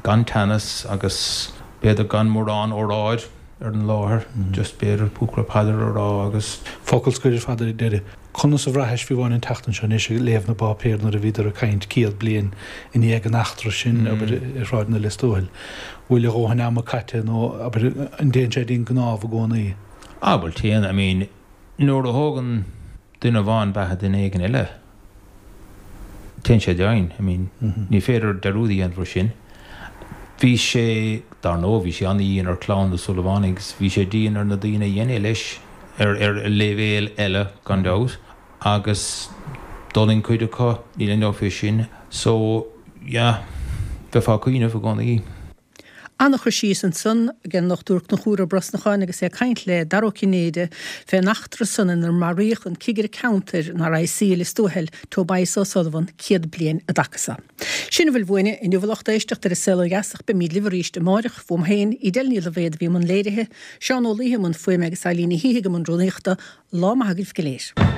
[SPEAKER 4] gan teannas agus b'fhéidir gan mórán óráid ar an láthair, just b'fhéidir cúpla paidir a rá agus.
[SPEAKER 5] Focal scoir ar fad ar deireadh. Conas a bhraithis fiú amháin an tseachtain seo anois ag léamh na bpáipéar nuair a bhíodar ag caint céad bliain i ndiaidh an eachtra sin, abair, i Sráid na Lios Tuathail. Bhfuil a dhóthain ama caite nó, abair, an dtéann sé dinn gnámh i gcónaí?
[SPEAKER 4] Ah bhuel téann, I mean, Nuair a thógann duine amháin beatha duine éigin eile, téann sé dian. I mean, ní féidir dearúd a dhéanamh ar sin. Bhí sé, dar ndóigh, bhí sé an-dhian ar chlann na Súilleabhánaigh agus bhí sé dian ar na daoine a dhein é leis, ar ar leibhéal eile gan dabht, agus d'fhulaing cuid acu, níl aon dabht faoi sin. So, yeah, bheifeá ag cuimhneamh i gcónaí.
[SPEAKER 1] An-chur síos ansan ag an nDochtúir Conchúr Ó Brosnacháin agus é ag caint le Dara Ó Cinnéide fén eachtra san inar maraíodh an cigire ceantair an RIC i Lios Tuathail, Tobias O'Sullivan, céad bliain an dtaca so. Sin a bhfuil uainne inniu a lucht éisteachta ar An Saol Ó Dheas ach beimíd libh arís amáireach. Fuaim féin, Edel Ní Loibhéad a bhí i mbun léirithe, Seán Ó Laoithe i mbun fuaime agus Eileen Ní Shíthigh i mbun rúnaíochta. Lá maith agaibh go léir.